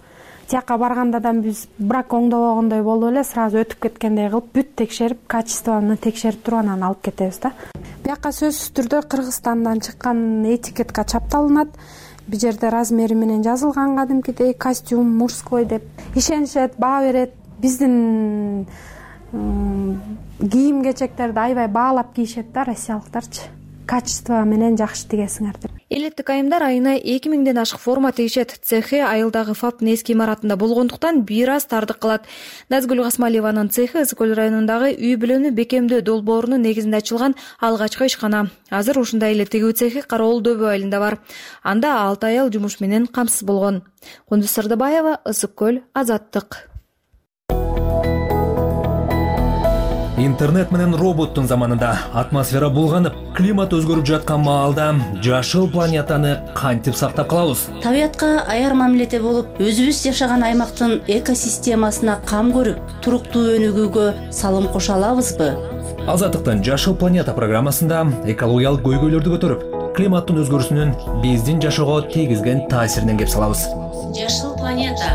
Тияка барганда да биз брак оңдобогондой болуп эле, сразу өтүп кеткендей кылып, бүт текшерип, качествону текшерип туруп анан алып кетебиз да. Бияка сөзсүз түрдө Кыргызстандан чыккан этикетка чапталынат. Бул жерде размери менен жазылган кадимкидей костюм мужской деп ишенишет, баа берет. Биздин кийим кечектерди аябай баалап кийишет да россиялыктарчы. Качество менен жакшы тигесиңер деп. Элеттик айымдар айына 2000ден ашык форма тигишет. Цехи айылдагы ФАПтын эски имаратында болгондуктан бир аз тардык кылат. Назгүл Касмалиеванын цехи Ысык-Көл районундагы үй бүлөнү бекемдөө долбоорунун негизинде ачылган алгачкы ишкана. Азыр ушундай эле тигүү цехи Кароол дөбө айылында бар. Анда 6 аял жумуш менен камсыз болгон. Кундуз Сырдыбаева, Ысык-Көл, Азаттык. Интернет менен роботтун заманында атмосфера булганып, климат өзгөрүп жаткан маалда жашыл планетаны кантип сактап калабыз? Табиятка аяр мамиледе болуп, өзүбүз жашаган аймактын экосистемасына кам көрүп, туруктуу өнүгүүгө салым кошо алабызбы? Азаттыктын Жашыл планета программасында экологиялык көйгөйлөрдү көтөрүп, климаттын өзгөрүүсүнүн биздин жашоого тийгизген таасиринен кеп салабыз. Жашыл планета.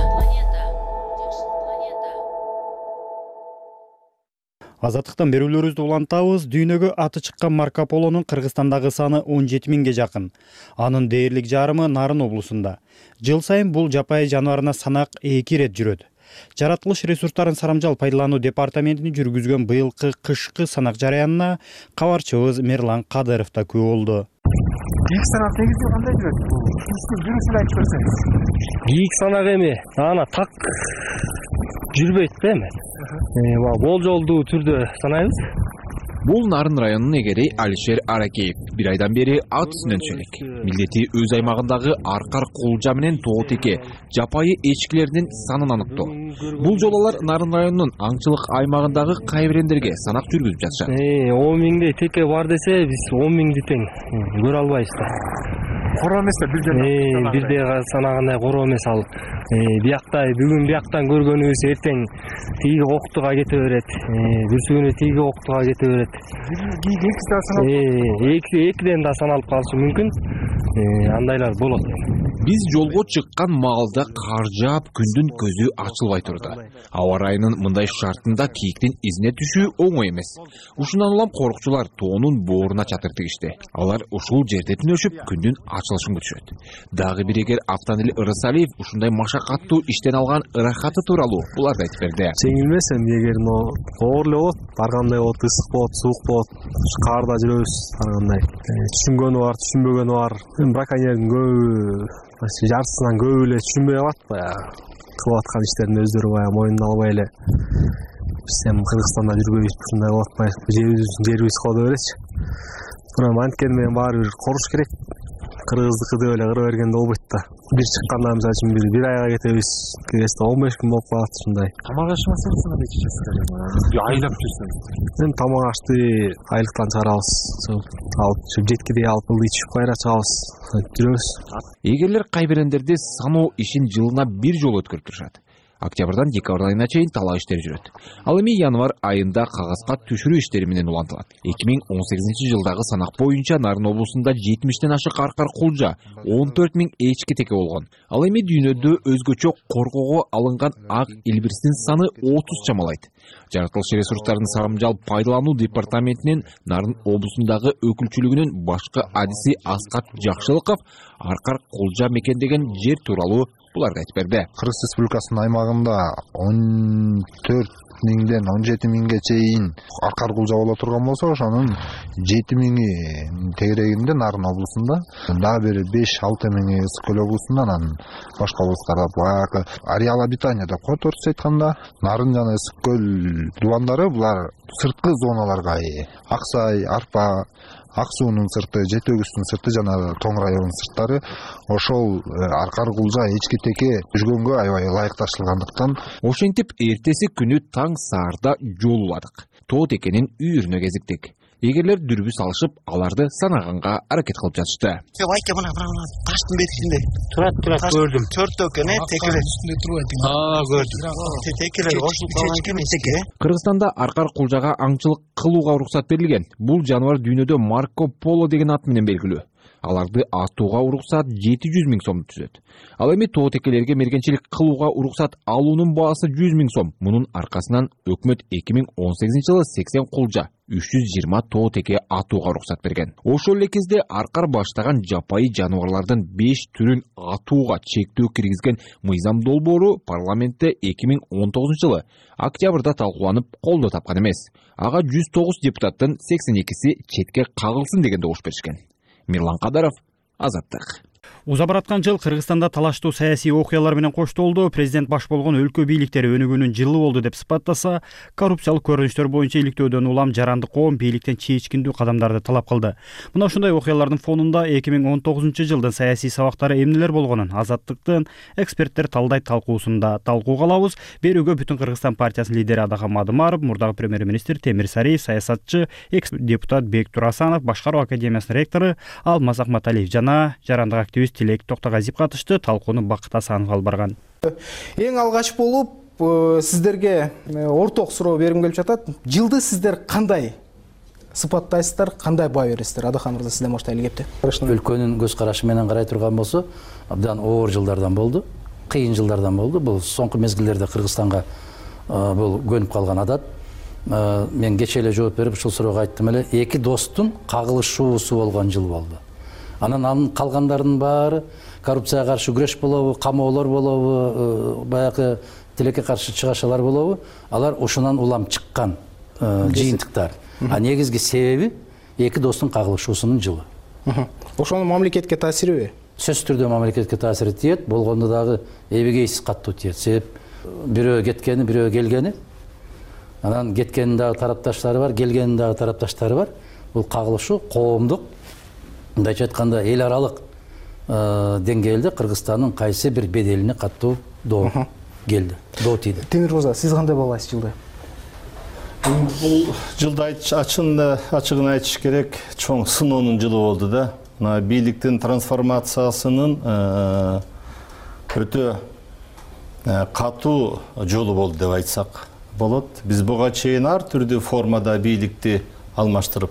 Азаттыктан берүүлөрүбүздү улантабыз. Дүйнөгө аты чыккан Марко Полонун Кыргызстандагы саны 17 миңге жакын. Анын дээрлик жарымы Нарын облусунда. Жыл сайын бул жапайы жаныбарына санак 2 ирет жүрөт. Жаратылыш ресурстарын сарамжал пайдалануу департаментини жүргүзгөн быйылкы кышкы санак жараянына кабарчыбыз Мерлан Кадыров да күбө болду. Бийик санак негизи кандай жүрөт? Жүрүшүн айтып берсеңиз. Бийик санак эми ана так жүрбөйт да эми. Болжолдуу түрдө санайбыз. Бул Нарын районунун эгери Алишер Аракеев бир айдан бери ат үстүнөн түшөлөк. Милдети өз аймагындагы Аркар Кулжа менен Тоотеке жапайы эчкилердин санын аныктоо. Бул жолу алар Нарын районунун аңчылык аймагындагы кайбирендерге санак жүргүзүп жатышат. 10 миңдей теке бар десе, биз 10 миңди тең көрө албайбыз да. Короо эмес да бир жерде. Бирде санагандай короо эмес ал. Бияктай бүгүн бияктан көргөнүбүз эртең тиги октуга кете берет. Бүрсү күнү тиги октуга кете берет. Экиден да саналып калышы мүмкүн. Андайлар болот. Биз жолго чыккан маалда кар жаап, күндүн көзү ачылбай турду. Аба ырайынын мындай шартында кийиктин изине түшүү оңой эмес. Ушундан улам корукчулар тоонун бооруна чатыр тигишти. Алар ушул жерде түнөшүп, күндүн ачылышын күтүшөт. Дагы бир эгер Автанили Ырысалиев ушундай машакаттуу иштен алган ырахаты тууралуу буларды айтып берди. Жеңил эмес эми эгер оор эле болот, баргандай болот, ысык болот, суук болот, карда жүрөбүз баргандай. Түшүнгөнү бар, түшүнбөгөнү бар. Браконьердин көбү жартысынан көбү эле түшүнбөй калат, баягы кылып аткан иштерин өздөрү баягы мойнуна албай эле. Биз эми Кыргызстанда жүрбөйбүз, ушундай болуп атпайбы? Жерибиз кодо беречи. Бирок анткени менен баары бир коруш керек. Кыргыздыкы деп эле кыра бергенде болбойт да. Бир чыкканда мисалы үчүн бир айга кетебиз, киресте 15 күн болуп калат ушундай. Тамак аш маселеси кандай чечесиз? Айлап жүрсөң. Эми тамак ашты айлыктан чыгарабыз. Алып жеткидей алып ичип кайра чыгабыз. Жүрөбүз. Эгерлер кайбирендерди саноо ишин жылына бир жолу өткөрүп турушат. Октябрдан декабрь айына чейин талаа иштери жүрөт. Ал эми январь айында кагазга түшүрүү иштери менен улантылат. 2018 жылдагы санак боюнча Нарын облусунда 70ден ашык Аркар Кулжа, 14 миң эчки теке болгон. Ал эми дүйнөдө өзгөчө коргоого алынган ак илбирстин саны 30 чамалайт. Жаратылыш ресурстарын сарамжал пайдалануу департаментинин Нарын облусундагы өкүлчүлүгүнүн башкы адиси Аскат Жакшылыков Аркар Кулжа мекендеген жер тууралуу буларды айтып берди. Кыргыз Республикасынын аймагында 14 миңден 17 миңге чейин Аркар Кулжа боло турган болсо, ошонун 7 миңи тегерегинде Нарын облусунда, дагы бир 5-6 миңи Ысык-Көл облусунда, анан башка облустарда баягы ареал обитания деп коет орусча айтканда. Нарын жана Ысык-Көл дубандары булар сырткы зоналарга Ак Сай, Арпа, Ак суунун сырты, Жети өгүздүн сырты жана Тоң районунун сырттары ошол Аркар Кулжа эчки теке жүргөнгө аябай ылайыкташылгандыктан ошентип эртеси күнү таң саарда жол уладык. Тоотекенин үйүрүнө кезиктик. Эгерлер дүрбү салышып, аларды санаганга аракет кылып жатышты. Айка мына таштын бетинде турат көрдүм. 4 теке текелер үстүндө турат. Көрдүм. Текелер ошол калган теке. Кыргызстанда Аркар Кулжага аңчылык кылууга уруксат берилген. Бул жаныбар дүйнөдө Марко Поло деген ат менен белгилүү. аларды атууга уруксат 700 000 сомду түзөт. Ал эми тоотекелерге мергенчилик кылууга уруксат алуунун баасы 100 000 сом. Мунун аркасынан өкмөт 2018 жылы 80 кулжа 320 тоотеке атууга уруксат берген. Ошол эле кезде аркар баштаган жапайы жаныбарлардын 5 түрүн атууга чектөө киргизген мыйзам долбоору парламентте 2019 жылы октябрда талкууланып колдоо тапкан эмес. Ага 109 депутаттын 82си четке кагылсын деген добуш беришкен. Мирлан Кадаров, Азаттык. Уза жыл Кыргызстанда талаштуу саясий окуялар менен коштолду. Президент баш болгон өлкө бийликтери өнүгүүнүн жылы болду деп сыпаттаса, коррупциялык көрүнүштөр боюнча иликтөөдөн улам жаранды коом бийликтен чечкиндүү кадамдарды талап кылды. Мына ушундай окуялардын фонунда 2019 жылдын саясий сабактары эмнелер болгонун Азаттыктын эксперттер талдайт талкуусунда талкууга алабыз. Берүүгө Бүтүн Кыргызстан партиясынын лидери Адахан Мадымаров, мурдагы премьер-министр Темир Сариев, саясатчы, экс-депутат Бек Турасанов, Башкаруу академиясынын ректору Алмаз Акматалиев жана жарандык активист Тилек Токтогазиев катышты. Талкууну Бакыт Асанов алып барган. Эң алгач болуп сиздерге орток суроо бергим келип жатат. Жылды сиздер кандай сыпаттайсыздар, кандай баа бересиздер? Адахан мырза, сизден баштайлы кепти. Өлкөнүн көз карашы менен карай турган болсо, абдан оор жылдардан болду, кыйын жылдардан болду. Бул соңку мезгилдерде Кыргызстанга бул көнүп калган адат. Мен кече эле жооп берип ушул суроого айттым эле, эки достун кагылышуусу болгон жыл болду. Анан калгандардын баары коррупцияга каршы күрөш болобу, камоолор болобу, баягы тилекке каршы чыгашалар болобу, алар ушунан улам чыккан жыйынтыктар. А негизги себеби эки достун кагылышуусунун жылы. Ошонун мамлекетке таасириби? Сөзсүз түрдө мамлекетке таасири тиет, болгондо дагы эбегейсиз каттуу тиет. Себеп бирөө кеткени, бирөө келгени. Анан кеткенин дагы тарапташтары бар, келгенин дагы тарапташтары бар. Бул кагылышуу коомдук, мындайча айтканда эл аралык деңгээлде Кыргызстандын кайсы бир беделине каттуу доо келди, доо тийди. Темир мырза, сиз кандай баалайсыз жылды? Бул жылды ачыгын айтыш керек, чоң сыноонун жылы болду да. Мына бийликтин трансформациясынын өтө катуу жолу болду деп айтсак болот. Биз буга чейин ар түрдүү формада бийликти алмаштырып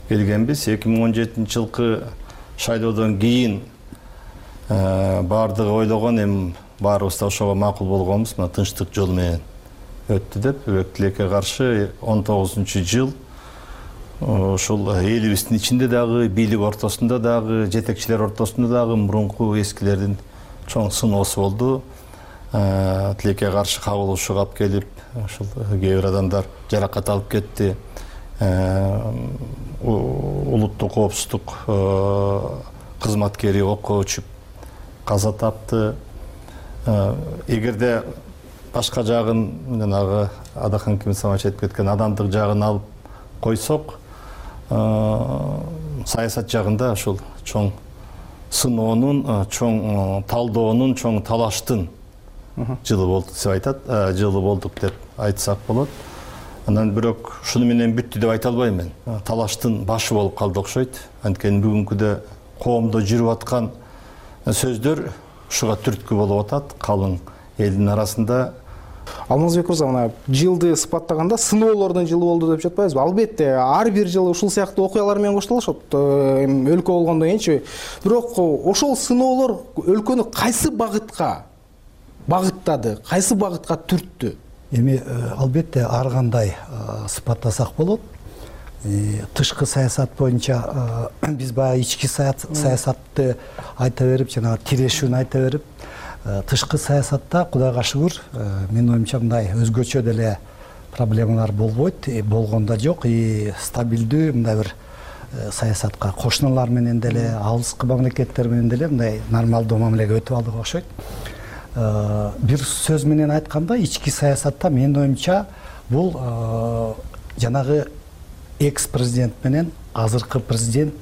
келгенбиз. 2017 жылкы шайлоодон кийин баардыгы ойлогон, эми баарыбыз да ошого макул болгонбуз. Мына тынчтык жол менен өттү деп, өбөктүлекке каршы 19 жыл ошол элибиздин ичинде дагы, бийлик ортосунда дагы, жетекчилер ортосунда дагы мурунку эскилердин чоң сыноосу болду. Тилекке каршы кабылышууга алып келип, ошол кээ бир адамдар жаракат алып кетти. Улуттук коопсуздук кызматкери окко өчүп каза тапты. Эгерде башка жагын, жанагы Адахан Кимисович айтып кеткен адамдык жагын алып койсок, саясат жагында ошол чоң сыноонун, чоң талдоонун, чоң талаштын жылы болду деп айтат, жылы болдук деп айтсак болот. Анан бирок ушуну менен бүттү деп айта албайм мен. Талаштын башы болуп калды окшойт. Анткени бүгүнкүдө коомдо жүрүп аткан сөздөр ушуга түрткү болуп атат, калың элдин арасында. Алмазбек мырза, мына жылды сыпаттаганда сыноолордун жылы болду деп жатпайбызбы? Албетте, ар бир жыл ушул сыяктуу окуялар менен коштолушат, өлкө болгондон кийинчи. Бирок ошол сыноолор өлкөнү кайсы багытка багыттады, кайсы багытка түрттү? Эми албетте ар кандай сыпаттасак болот. Тышкы саясат боюнча биз баягы ички саясатты айта берип, жана тирешүүнү айта берип, тышкы саясатта Кудайга шүгүр, менин оюмча мындай өзгөчө деле проблемалар болбойт, болгондо жок, стабилдүү мындай бир саясатка кошуналар менен деле, алыскы мамлекеттер менен деле мындай нормалдуу мамилеге өтүп алдык окшойт. Бир сөз менен айтканда, ички саясатта менин оюмча бул жанагы экс-президент менен азыркы президент,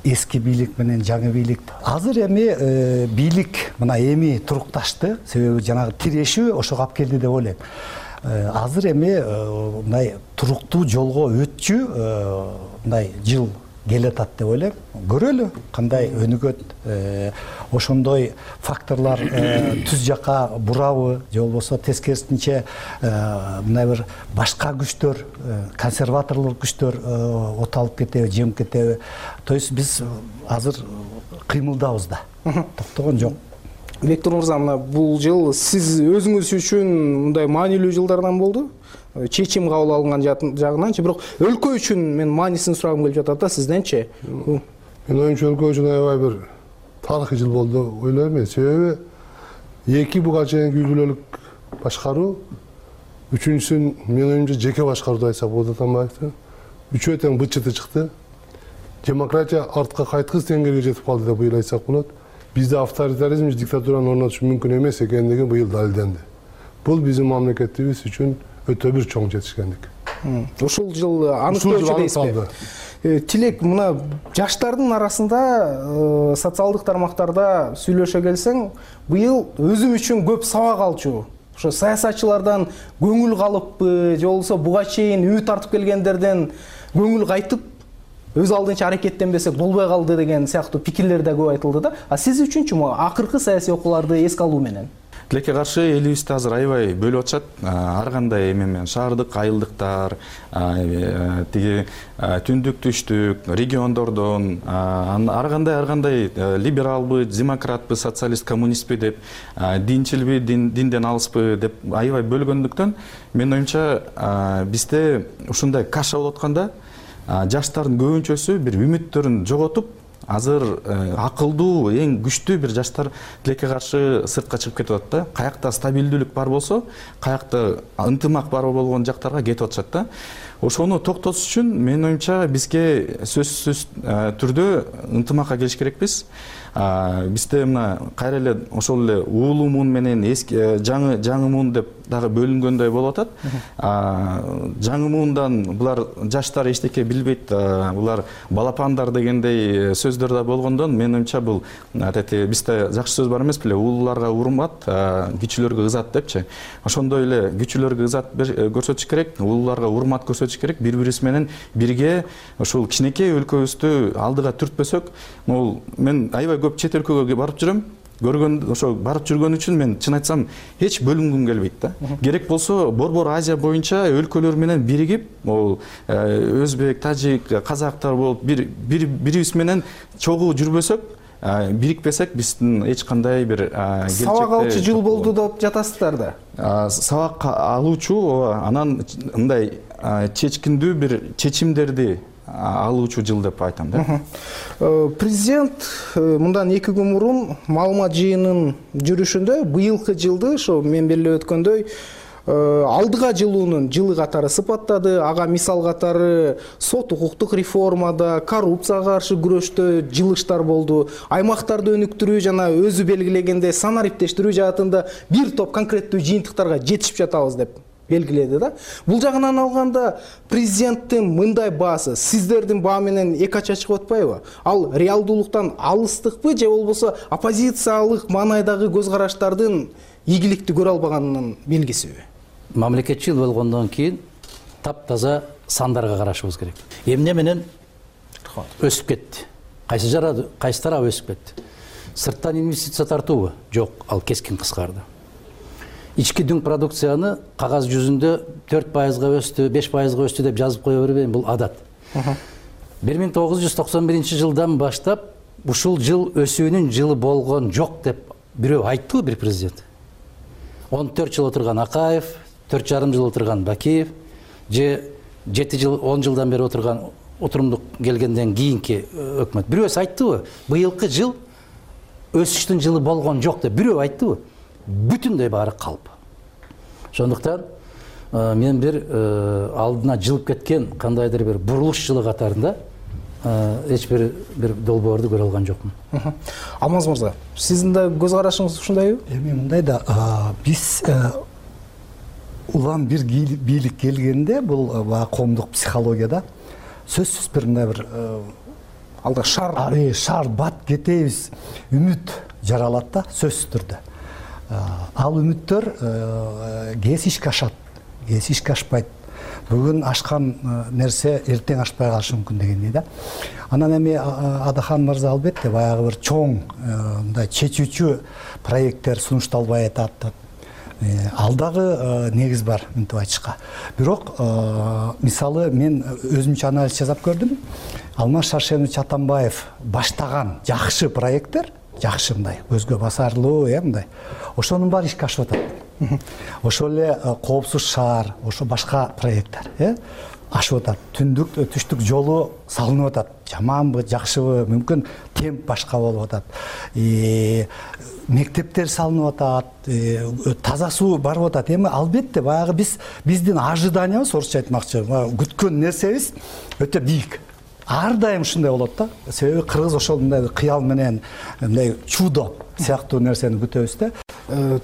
эски бийлик менен жаңы бийлик. Азыр эми бийлик мына эми турукташты, себеби жанагы тирешүү ошого алып келди деп ойлойм. Азыр эми мындай туруктуу жолго өтчү мындай жыл келатат деп ойлойм. Көрөлү кандай өнүгөт, ошондой факторлар түз жака бурабы же болбосо тескерисинче мындай бир башка күчтөр, консерваторлук күчтөр оталып кетеби, жеңип кетеби. То есть биз азыр кыймылдабыз да. Токтогон жок. Виктор мырза, мына бул жыл сиз өзүңүз үчүн мындай маанилүү жылдардан болду. Чечим кабыл алынган жагынанчы, бирок өлкө үчүн мен маанисин сурагым келип жатат да сизденчи. Мен оюмча өлкө үчүн аябай бир тарыхый жыл болду ойлойм мен. Себеби эки буга чейинки үй бүлөлүк башкаруу, үчүнчүсүн мен оюмча жеке башкарууду айтсак болот Атамбаевдин. Үчөө тең бычыты чыкты. Демократия артка кайткыс деңгээлге жетип калды деп быйыл айтсак болот. Бизде авторитаризм, диктатураны орнотуш мүмкүн эмес экендиги быйыл далилденди. Бул биздин мамлекетибиз үчүн өтө бир чоң жетишкендик. Ушул жыл аныктоочу дейсизби? Тилек, мына жаштардын арасында социалдык тармактарда сүйлөшө келсең, быйыл өзүм үчүн көп сабак алчу. Ошо саясатчылардан көңүл калыппы, же болбосо буга чейин үй тартып келгендерден көңүл кайтып, өз алдынча аракеттенбесек болбой калды деген сыяктуу пикирлер да көп айтылды да. А сиз үчүнчү акыркы саясий окууларды эске алуу менен? Тилекке каршы элибизди азыр аябай бөлүп атышат. Ар кандай эме менен шаардык айылдыктар, тиги түндүк түштүк, региондордон, ар кандай либералбы, демократпы, социалист, коммунистпи деп, динчилби, динден алыспы деп аябай бөлгөндүктөн, мен оюмча бизде ушундай каша болуп атканда жаштардын көбүнчөсү бир үмүттөрүн жоготуп, азыр акылдуу, эң күчтүү бир жаштар тилекке каршы сыртка чыгып кетип атат да. Каякта стабилдүүлүк бар болсо, каякта ынтымак бар болгон жактарга кетип атышат да. Ошону токтотуш үчүн мен оюмча бизге сөзсүз түрдө ынтымакка келиш керекпиз. Бизде мына кайра эле ошол эле уулуу муун менен эски жаңы муун деп дагы бөлүнгөндөй болуп атат. Жаңы муундан булар жаштар эчтеке билбейт, булар балапандар дегендей сөздөр да болгондон мен оюмча бул бизде жакшы сөз бар эмес беле, уулууларга урмат, кичүүлөргө ызат депчи. Ошондой эле кичүүлөргө ызат көрсөтүш керек, уулууларга урмат көрсөтүш керек, бири-бирибиз менен бирге ошол кичинекей өлкөбүздү алдыга түртпөсөк, мен аябай көп чет өлкөгө барып жүрөм. Ошо барып жүргөн үчүн мен чын айтсам эч бөлүнгүм келбейт да. Керек болсо Борбор Азия боюнча өлкөлөр менен биригип, өзбек, тажик, казактар болуп бирибиз менен чогуу жүрбөсөк, бирикпесек биздин эч кандай бир сабак алуучу жыл болду деп жатасыздар да. Сабак алуучу, анан мындай чечкиндүү бир чечимдерди алуучу жыл деп айтам да. Президент мындан 2 күн мурун маалымат жыйынынын жүрүшүндө быйылкы жылды ошо мен белгилеп өткөндөй алдыга жылуунун жылы катары сыпаттады. Ага мисал катары сот укуктук реформада, коррупцияга каршы күрөштө жылыштар болду. Аймактарды өнүктүрүү жана өзү белгилегенде санариптештирүү жаатында бир топ конкреттүү жыйынтыктарга жетишип жатабыз деп белгиледи да. Бул жагынан алганда президенттин мындай баасы сиздердин баа менен эки ача чыгып атпайбы? Ал реалдуулуктан алыстыкпы же болбосо оппозициялык маанайдагы көз караштардын ийгиликти көрө албаганынын белгисиби? Мамлекетчил болгондон кийин таптаза сандарга карашыбыз керек. Эмне менен өсүп кетти? Кайсы тарап өсүп кетти? Сырттан инвестиция тартуубу? Жок, ал кескин кыскарды. Ички дүң продукцияны кагаз жүзүндө 4%-га өстү, 5%-га өстү деп жазып кое бербейм, бул адат. 1991 жылдан баштап ушул жыл өсүүнүн жылы болгон жок деп бирөө айттыбы бир президент? 14 жыл отурган Акаев, 4,5 жыл отурган Бакиев, же 7 жыл, 10 жылдан бери отурган отурумдук келгенден кийинки өкмөт. Бирөөсү айттыбы? Быйылкы жыл өсүштүн жылы болгон жок деп бирөө айттыбы? Бүтүндөй баары калп. Ошондуктан мен бир алдына жылып кеткен кандайдыр бир бурулуш жылы катарында эч бир долбоорду көрө алган жокмун. Алмаз мырза, сиздин да көз карашыңыз ушундайбы? Эми мындай да, биз улам бир бийлик келгенде бул коомдук психологияда сөзсүз бир мындай бир алда шар бат кетебиз, үмүт жаралат да сөзсүз түрдө. Ал үмүттөр кез ишке ашат, кез ишке ашпайт. бүгүн ашкан нерсе эртең ашпай калышы мүмкүн дегендей да. Анан эми Адахан мырза албетте баягы бир чоң мындай чечүүчү проекттер сунушталбай атат. Ал дагы негиз бар мынтип айтышка. Бирок мисалы мен өзүмчө анализ жасап көрдүм. Алмаз Шаршенович Атамбаев баштаган жакшы проекттер, жакшы мындай көзгө басарлуу, мындай. Ошонун баары ишке ашып атат. Ошол эле коопсуз шаар, ошо башка проекттер, ашып атат. Түштүк жолу салынып атат. Жаманбы, жакшыбы, мүмкүн темп башка болуп атат. Мектептер салынып атат, таза суу барып атат. Эми албетте баягы биздин ожиданиябыз, орусча айтмакчы, күткөн нерсебиз өтө бийик. Ар дайым ушундай болот да. Себеби кыргыз ошол мындай кыял менен мындай чудо сыяктуу нерсени күтөбүз да.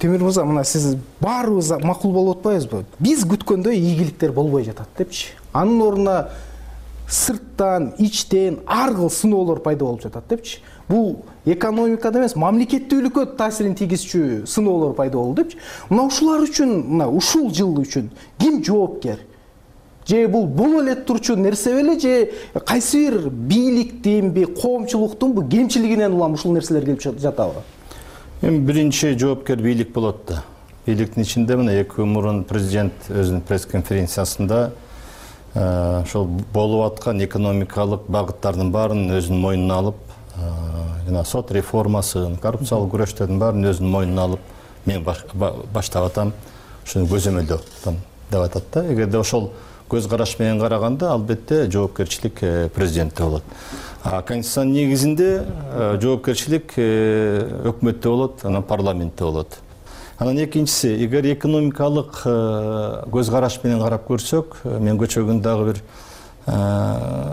Темир мырза, мына сиз баарыбыз макул болуп атпайбызбы? Биз күткөндөй ийгиликтер болбой жатат депчи. Анын ордуна сырттан, ичтен ар кыл сыноолор пайда болуп жатат депчи. Бул экономикада эмес, мамлекеттүүлүккө таасирин тийгизчү сыноолор пайда болду депчи. Мына ушулар үчүн, мына ушул жыл үчүн ким жоопкер? Же бул боло эле турчу нерсе беле, же кайсы бир бийликтинби, коомчулуктунбу кемчилигинен улам ушул нерселер келип жатабы? Эми биринчи жоопкер бийлик болот да. Бийликтин ичинде мына 2 күн мурун президент өзүнүн пресс-конференциясында ошол болуп аткан экономикалык багыттардын баарын өзүнүн мойнуна алып, жана сот реформасын, коррупциялык күрөштөрдүн баарын өзүнүн мойнуна алып, мен баштап атам, ушуну көзөмөлдөп атам деп атат да. Эгерде ошол көз караш менен караганда албетте жоопкерчилик президентте болот. Конституциянын негизинде жоопкерчилик өкмөттө болот, анан парламентте болот. Анан экинчиси, эгер экономикалык көз караш менен карап көрсөк, мен көчө күн дагы бир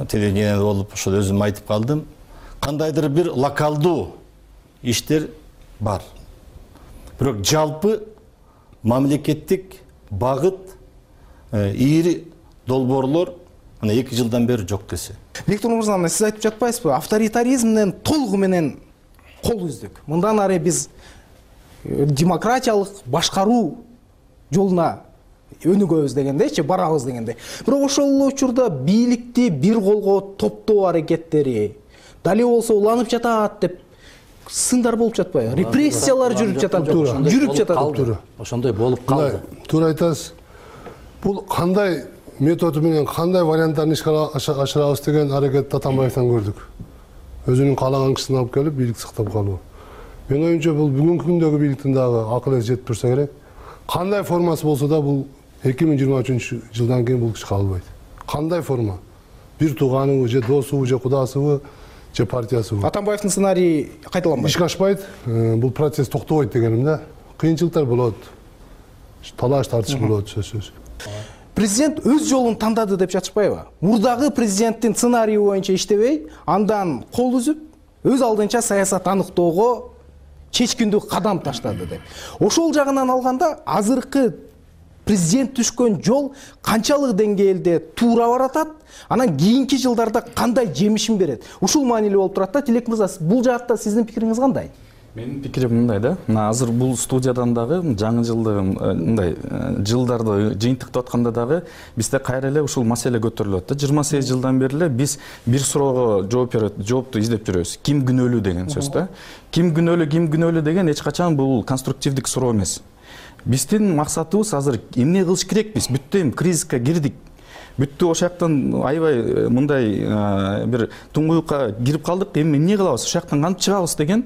телевидениеде болуп ошол өзүм айтып калдым. Кандайдыр бир локалдуу иштер бар. Бирок жалпы мамлекеттик багыт, ийри долбоорлор мына 2 жылдан бери жок десе. Виктор мырза, сиз айтып жатпайсызбы? Авторитаризмден толугу менен кол үздүк. Мындан ары биз демократиялык башкаруу жолуна өнүгөбүз дегендейчи, барабыз дегендей. Бирок ошол учурда бийликти бир колго топтоо аракеттери, дали болсо уланып жатат деп сындар болуп жатпайбы? Репрессиялар жүрүп жатат. Ошондой болуп калды. Туура айтасыз. Бул кандай методу менен кандай варианттарын ишке ашырабыз деген аракетти Атамбаевден көрдүк. Өзүнүн каалаган кишисин алып келип бийлик сактап калуу. Мен оюмча бул бүгүнкү күндөгү бийликтин дагы акыл эси жетип турса керек. Кандай формасы болсо да бул 2023 жылдан кийин бул киши калбайт. Кандай форма? Бир тууганыбы, же досубу, же кудасыбы, же партиясыбы. Атамбаевдин сценарийи кайталанбайт. Ишке ашпайт, бул процесс токтобойт дегеним да. Кыйынчылыктар болот. Талаш тартыш болот сөзсүз. Президент өз жолун тандады деп жатышпайбы? Мурдагы президенттин сценарийи боюнча иштебей, андан кол үзүп, өз алдынча саясат аныктоого чечкиндүү кадам таштады деп. Ошол жагынан алганда азыркы президент түшкөн жол канчалык деңгээлде туура баратат, анан кийинки жылдарда кандай жемишин берет? Ушул маанилүү болуп турат да. Тилек мырза, бул жаатта сиздин пикириңиз кандай? Менин пикирим мындай да. Мына азыр бул студиядан дагы жаңы жылды мындай жылдарды жыйынтыктап атканда дагы бизде кайра эле ушул маселе көтөрүлөт да. 28 жылдан бери эле биз бир суроого жоопту издеп жүрөбүз. Ким күнөөлүү деген сөз да. Ким күнөөлүү деген эч качан бул конструктивдик суроо эмес. Биздин максатыбыз азыр эмне кылыш керекпиз? Бүттү кризиске кирдик. Бүттү ошол жактан аябай мындай бир туңгуюкка кирип калдык. Эми эмне кылабыз? Ошол жактан кантип чыгабыз деген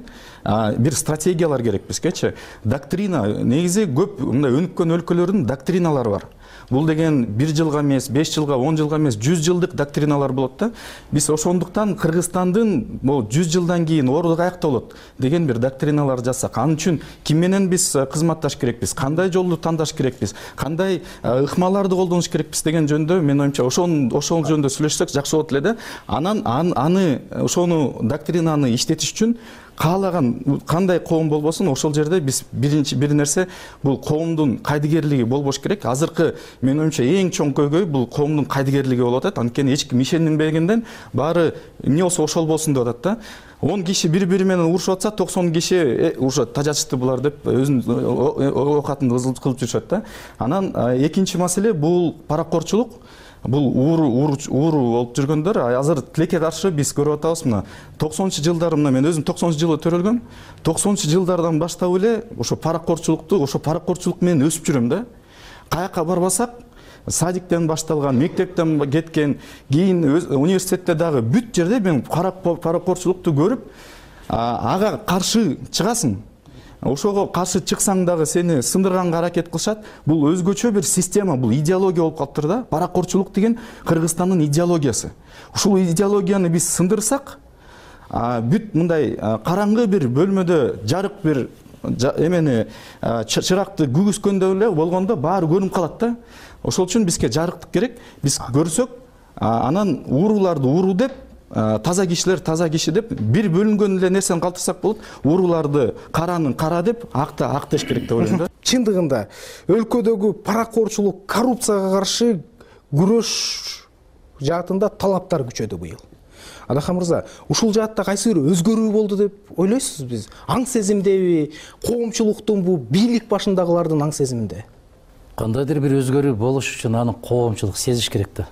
бир стратегиялар керек бизгечи. Доктрина негизи көп мындай өнүккөн өлкөлөрдүн доктриналары бар. Бул деген 1 жылга эмес, 5 жылга, 10 жылга эмес, 100 жылдык доктриналар болот да. Биз ошондуктан Кыргызстандын бул 100 жылдан кийин орду каякта болот деген бир доктриналар жасак. Анын үчүн ким менен биз кызматташ керекпиз, кандай жолду тандаш керекпиз, кандай ыкмаларды колдонуш керекпиз деген жөндө мен оюмча ошол жөндө сүйлөшсөк жакшы болот эле да. Анан аны ошону доктринаны иштетиш үчүн каалаган кандай коом болбосун ошол жерде биз бир нерсе бул коомдун кайдыгерлиги болбош керек. Азыркы менин оюмча эң чоң көйгөй бул коомдун кайдыгерлиги болуп атат. Анткени эч ким ишенбегенден баары эмне болсо ошол болсун деп атат да. 10 киши бири-бири менен урушуп атса 90 киши уже тажатышты булар деп өзүнүн оокатын кылып жүрүшөт да. Анан экинчи маселе бул паракорчулук. Бул ууру болуп жүргөндөр азыр тилекке каршы биз көрүп атабыз. Мына 90-жылдары мен өзүм 90-жылы төрөлгөм. 90-жылдардан баштап эле ошо паракорчулук менен өсүп жүрөм да. Каяка барбасак, садиктен башталган, мектептен кеткен, кийин университетте дагы бүт жерде мен паракорчулукту көрүп, ага каршы чыгасың. Ошого каршы чыксаң дагы сени сындырганга аракет кылышат. Бул өзгөчө бир система, бул идеология болуп калыптыр да. Паракорчулук деген Кыргызстандын идеологиясы. Ушул идеологияны биз сындырсак, бүт мындай караңгы бир бөлмөдө жарык бир эмени чыракты күгүскөндө эле болгондо баары көрүнүп калат да. Ошол үчүн бизге жарыктык керек. Биз көрсөк, анан ууруларды ууру деп, таза киши деп бир бөлүнгөн эле нерсени калтырсак болот. Ууруларды каранын кара деп, акты ак деш керек деп ойлойм да. Чындыгында өлкөдөгү паракорчулук, коррупцияга каршы күрөш жаатында талаптар күчөдү быйыл. Адахан мырза, ушул жаатта кайсы бир өзгөрүү болду деп ойлойсузбу биз? Аң сезимдеби, коомчулуктун бу бийлик башындагылардын аң сезиминде? Кандайдыр бир өзгөрүү болуш үчүн аны коомчулук сезиш керек да.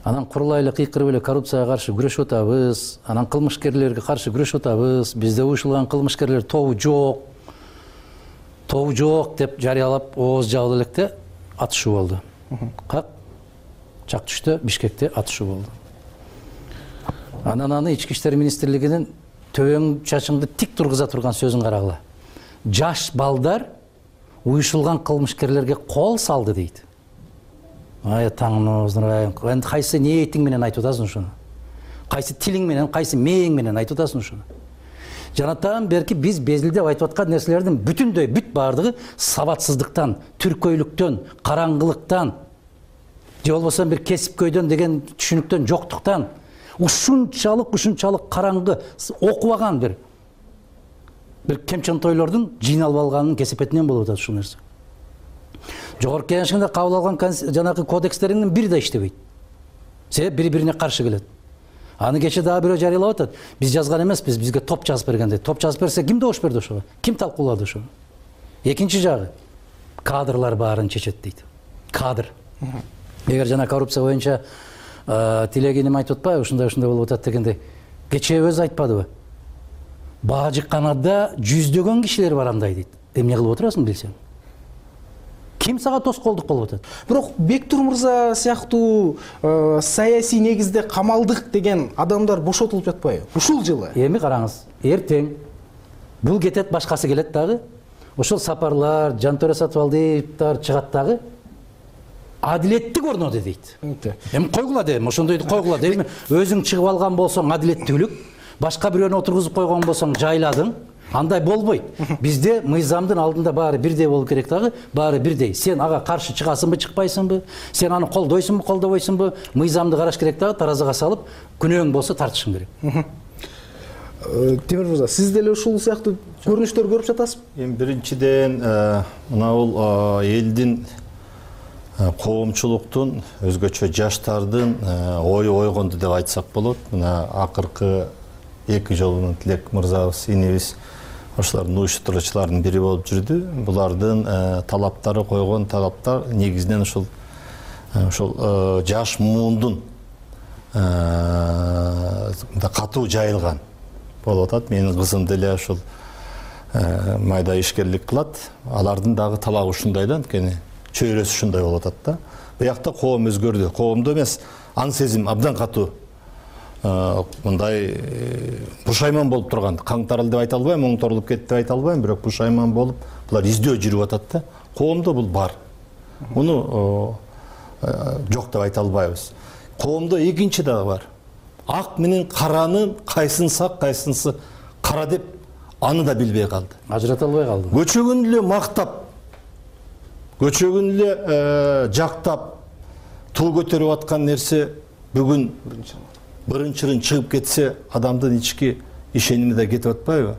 Анан курулайлы кыйкырып эле коррупцияга каршы күрөшүп атабыз, анан кылмышкерлерге каршы күрөшүп атабыз, бизде уюшулган кылмышкерлер тобу жок деп жарыялап ооз жабылып электе атышуу болду. Чак түштө Бишкекте атышуу болду. Анан аны Ички иштер министрлигинин төбөң чачыңды тик тургуза турган сөзүн карагыла. Жаш балдар уюшулган кылмышкерлерге кол салды дейт. Ай таңыңыздын, энди кайсы ниетиң менен айтып атасың ушуну? Кайсы тилиң менен, кайсы мээң менен айтып атасың ушуну? Жанатан берки биз безилдеп айтып аткан нерселердин бүт баардыгы сабатсыздыктан, түркөйлүктөн, караңгылыктан, же болбосо бир кесипкөйдөн деген түшүнүктөн жоктуктан, ушунчалык караңгы, окубаган бир кемчентойлордун жыйналып алганын кесепетинен болуп атат ушул нерсе. Жогорку Кеңешинде кабыл алган жанагы кодекстеринин бири да иштебейт. Себеп бири-бирине каршы келет. Аны кече дагы бирөө жарыялап атат. Биз жазган эмеспиз, бизге топ жазып берген дейт. Топ жазып берсе ким добуш берди ошого? Ким талкуулады ошону? Экинчи жагы кадрлар баарын чечет дейт. Кадр. Эгер жана коррупция боюнча тилегеним айтып атпайбы, ушундай болуп атат дегенде, кече өзү айтпадыбы? Баа жыкканада жүздөгөн кишилер бар андай дейт. Эмне кылып отурасың билсең? Ким сага тоскоолдук болуп атат? Бирок Бектур мырза сыяктуу саясий негизде камалдык деген адамдар бошотулуп жатпайбы? Ушул жылы. Эми караңыз, эртең бул кетет, башкасы келет дагы. Ошол сапарлар, Жантөре Сатыбалдиевдер чыгат дагы. Адилеттик орноду дейт. Эми койгула дейм, ошондойду койгула дейм. Өзүң чыгып алган болсоң адилеттүүлүк, башка бирөөнү отургузуп койгон болсоң жайладың. Андай болбойт. Бизде мыйзамдын алдында баары бирдей болуп керек дагы, баары бирдей. Сен ага каршы чыгасыңбы, чыкпайсыңбы? Сен аны колдойсуңбу, колдобойсуңбу? Мыйзамды караш керек дагы, таразыга салып, күнөөң болсо тартышың керек. Темир мырза, сиз деле ушул сыяктуу көрүнүштөр көрүп жатасызбы? Эми биринчиден мына бул элдин коомчулуктун, өзгөчө жаштардын ою ойгонду деп айтсак болот. Мына акыркы 2 жолунун Тилек мырзабыз, инибиз ошолордун уюштуруучуларынын бири болуп жүрдү. Булардын талаптары, койгон талаптар негизинен ушул жаш муундун катуу жайылган болуп атат. Менин кызым деле ушул майда ишкерлик кылат. Алардын дагы талабы ушундай да, анткени чөйрөсү ушундай болуп атат да. Буякта коом өзгөрдү. Коомдо эмес, аң сезим абдан катуу. Мындай пушайман болуп турган, каңтарыл деп айта албайм, оңторулуп кетти деп айта албайм, бирок пушайман болуп, булар издөө жүрүп атат да. Коомдо бул бар. Муну жок деп айта албайбыз. Коомдо экинчи дагы бар. Ак менен каранын кайсынысы ак, кайсынысы кара деп аны да билбей калды. Ажырата албай калды. Көчөгүн эле мактап, көчөгүн эле жактап, туу көтөрүп аткан нерсе бүгүн бырын-чырын чыгып кетсе, адамдын ички ишеними да кетип атпайбы?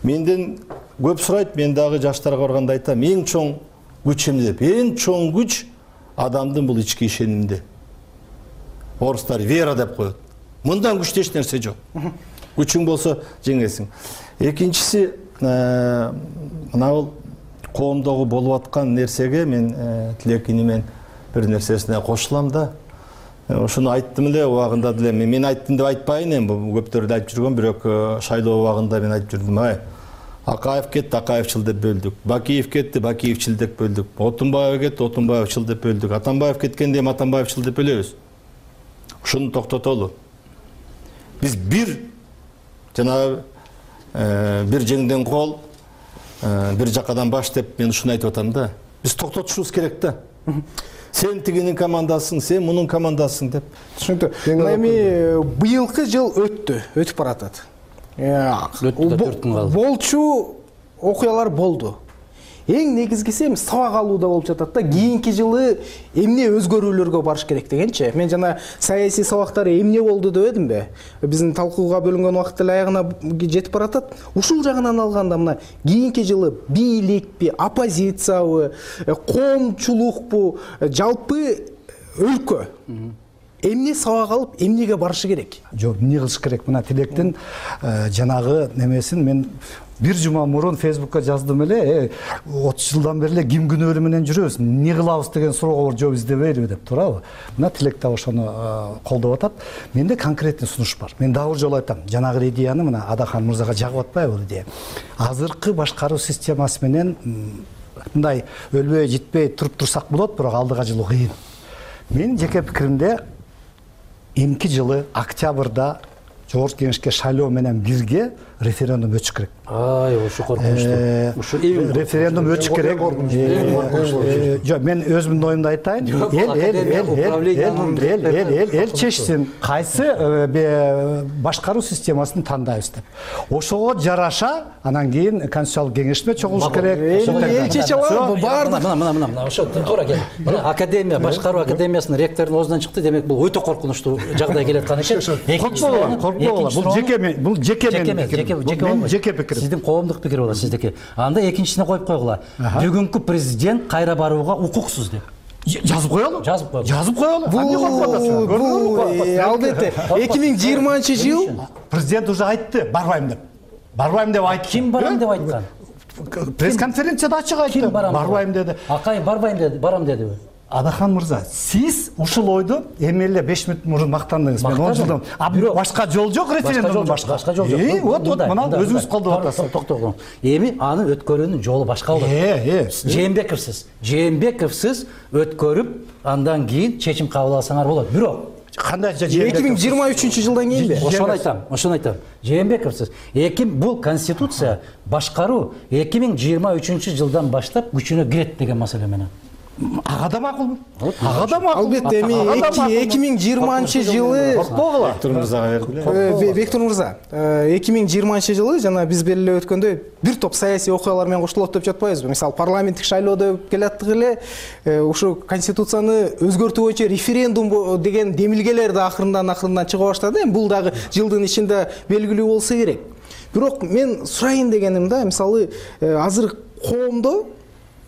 Менден көп сурайт, мен дагы жаштарга барганда айтам, эң чоң күч эмне деп. Эң чоң күч адамдын бул ички ишенимде. Орустар вера деп коет. Мындан күчтүү эч нерсе жок. Күчүң болсо жеңесиң. Экинчиси, мына коомдогу болуп аткан нерсеге мен тилекини мен бир нерсесине кошулам да. Ошону айттым эле убагында деле. Мен айттым деп айтпайын эми, көптөр да айтып жүргөн, бирок шайлоо убагында мен айтып жүрдүм, Акаев кетти, Акаевчил деп бөлдүк. Бакиев кетти, Бакиевчил деп бөлдүк. Отунбаев кетти, Отунбаевчил деп бөлдүк. Атамбаев кеткенде эми Атамбаевчил деп бөлөбүз. Ушуну токтотолу. Биз бир жанагы бир жеңден кол, бир жакадан баш деп мен ушуну айтып атам да. Биз токтотушубуз керек да. Сен тигинин командасың, сен мунун командасың деп. Түшүнүктүү. Эми быйылкы жыл өтүп баратат. Болчу окуялар болду. Эң негизгиси эми сабак алууда болуп жатат да. Кийинки жылы эмне өзгөрүүлөргө барыш керек дегенчи. Мен жана саясий сабактар эмне болду дебедимби? Биздин талкууга бөлүнгөн убакыт эле аягына жетип баратат. Ушул жагынан алганда мына кийинки жылы бийликпи, оппозициябы, коомчулукпу, жалпы өлкө эмне сабак алып, эмнеге барышы керек? Жок, эмне кылыш керек? Мына Тилектин жанагы немесин мен бир жума мурун Фейсбукка жаздым эле, 30 жылдан бери эле ким күнөөлүү менен жүрөбүз, эмне кылабыз деген суроого жооп издебейбиз деп туурабы? Мына Тилек да ошону колдоп атат. Менде конкретный сунуш бар. Мен дагы бир жолу айтам, жанагы идеяны мына Адахан мырзага жагып атпайбы бул идея? Азыркы башкаруу системасы менен мындай өлбөй житпей туруп турсак болот, бирок алдыга жылуу кыйын. Менин жеке пикиримде эмки жылы октябрда Жогорку Кеңешке шайлоо менен бирге референдум өтүш керек. Ушу коркунучтуу. Ушу референдум өтүш керек. Жок, мен өзүмдүн оюмду айтайын. Эл чечсин, кайсы башкаруу системасын тандайбыз деп. Ошого жараша анан кийин Конституциялык кеңешме чогулуш керек. Эл чече алат, баардык. Мына ошо туура кел. Мына академия, башкаруу академиясынын ректорунун оозунан чыкты, демек бул өтө коркунучтуу жагдай келе аткан экен. Бул жеке пикирим. Сиздин коомдук пикир болот сиздики. Анда экинчисине коюп койгула. Бүгүнкү президент кайра барууга укуксуз деп. Жазып коелу. Албетте 2020-жыл президент уже айтты, барбайм деп. Айтты. Ким барам деп айткан? Пресс-конференцияда ачык айтты. Барбайм деди. Акаев барбайм деди, барам дедиби? Адахан мырза, сиз ушул ойду эми эле 5 мүнөт мурун мактандыңыз. Мен 10 жылдан башка жол жок, референдумдун башка жол жок. Вот мына өзүңүз колдоп атасыз. Токтогун. Эми аны өткөрүүнүн жолу башка болот. Жээнбековсиз өткөрүп, андан кийин чечим кабыл алсаңар болот. Бирок кандай 2023-жылдан кийинби? Ошону айтам. Жээнбековсиз. Бул конституция башкаруу 2023-жылдан баштап күчүнө кирет деген маселе менен. Ага да макул. Албетте эми 2020-жылы Бектур мырзага бердиле. Бектур мырза, 2020-жылы жана биз белгилеп өткөндөй бир топ саясий окуялар менен коштолот деп жатпайбызбы? Мисалы парламенттик шайлоодо келаттык эле, ушу конституцияны өзгөртүү боюнча референдум деген демилгелер да акырындан чыга баштады. Бул дагы жылдын ичинде белгилүү болсо керек. Бирок мен сурайын дегеним да, мисалы азыр коомдо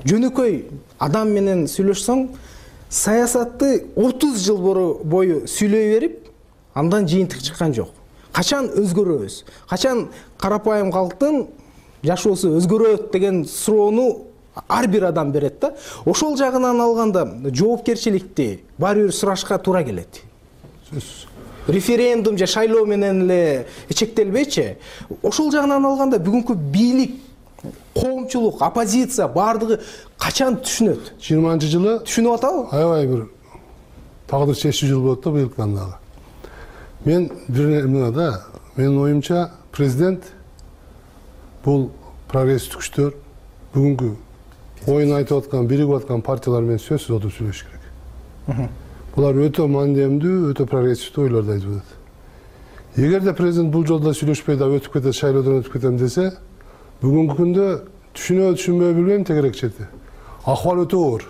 жөнөкөй адам менен сүйлөшсөң, саясатты 30 жыл бою сүйлөй берип, андан жыйынтык чыккан жок. Качан өзгөрөбүз? Качан карапайым калктын жашоосу өзгөрөт деген суроону ар бир адам берет да. Ошол жагынан алганда жоопкерчиликти баары бир сурашка туура келет. Референдум же шайлоо менен эле чектелбейчи? Ошол жагынан алганда бүгүнкү бийлик, коомчулук, оппозиция баардыгы качан түшүнөт? 20-жылы түшүнүп атабы? Аябай бир тагдыр чечүү жыл болот да быйылкыдан дагы. Мен менин оюмча президент бул прогрессивдик күчтөр бүгүнкү оюн айтып аткан, биригип аткан партиялар менен сөзсүз отуруп сүйлөшүш керек. Булар өтө мандемдүү, өтө прогрессивдүү ойлорду айтып атат. Эгерде президент бул жолдо сүйлөшпөй да өтүп кетет, шайлоодон өтүп кетем десе, бүгүнкү күндө түшүнбөй билбейм тегерек чети. Акыбал өтө оор.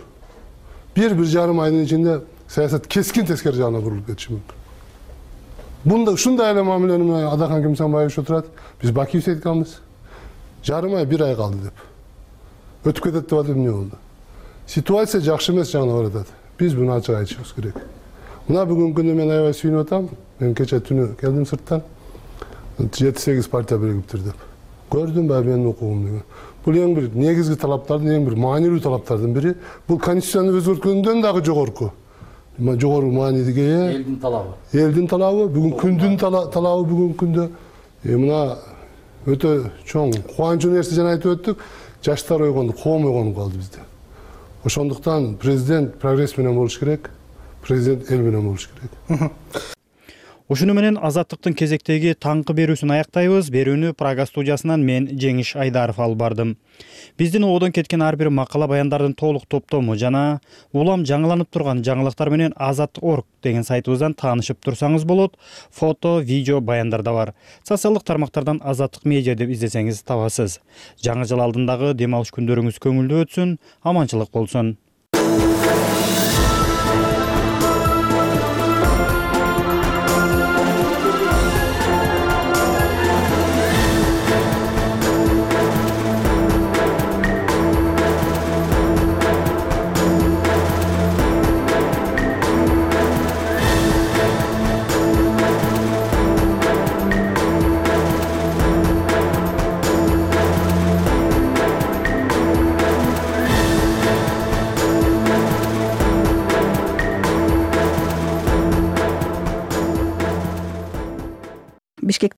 1-1,5 айдын ичинде саясат кескин тескери жагына бурулуп кетиши мүмкүн. ушундай эле мамилени Адахан Кимсанбаевич отурат. Биз Бакиевди айтканбыз. Жарым ай, 1 ай калды деп. Өтүп кетет деп атып эмне болду? Ситуация жакшы эмес жагына баратат. Биз буну ачык айтышыбыз керек. Мына бүгүнкү күндө мен аябай сүйүнүп атам. Мен кече түнү келдим сырттан. 7-8 партия биригиптир деп. Көрдүм ба менин укугум деген. Бул эң бир негизги талаптардын, эң бир маанилүү талаптардын бири. Бул конституцияны өзгөрткөндөн дагы жогорку. Жогору маанидиге ээ. Элдин талабы. Элдин талабы, бүгүн күндүн талабы бүгүнкү күндө. Мына өтө чоң кубанычтуу нерсе жана айтып өттүк. Жаштар ойгонду, коом ойгонуп калды бизде. Ошондуктан президент прогресс менен болуш керек, президент эл менен болуш керек. Ушуну менен Азаттыктын кезектеги таңкы берүүсүн аяктайбыз. Берүүнү Прага студиясынан мен Жеңиш Айдаров алып бардым. Биздин ободон кеткен ар бир макала баяндардын толук топтому жана улам жаңыланып турган жаңылыктар менен Азаттык.org деген сайтыбыздан таанышып турсаңыз болот. Фото, видео баяндар да бар. Социалдык тармактардан Азаттык медиа деп издесеңиз табасыз. Жаңы жыл алдындагы дем алыш күндөрүңүз көңүлдүү өтсүн, аманчылык болсун.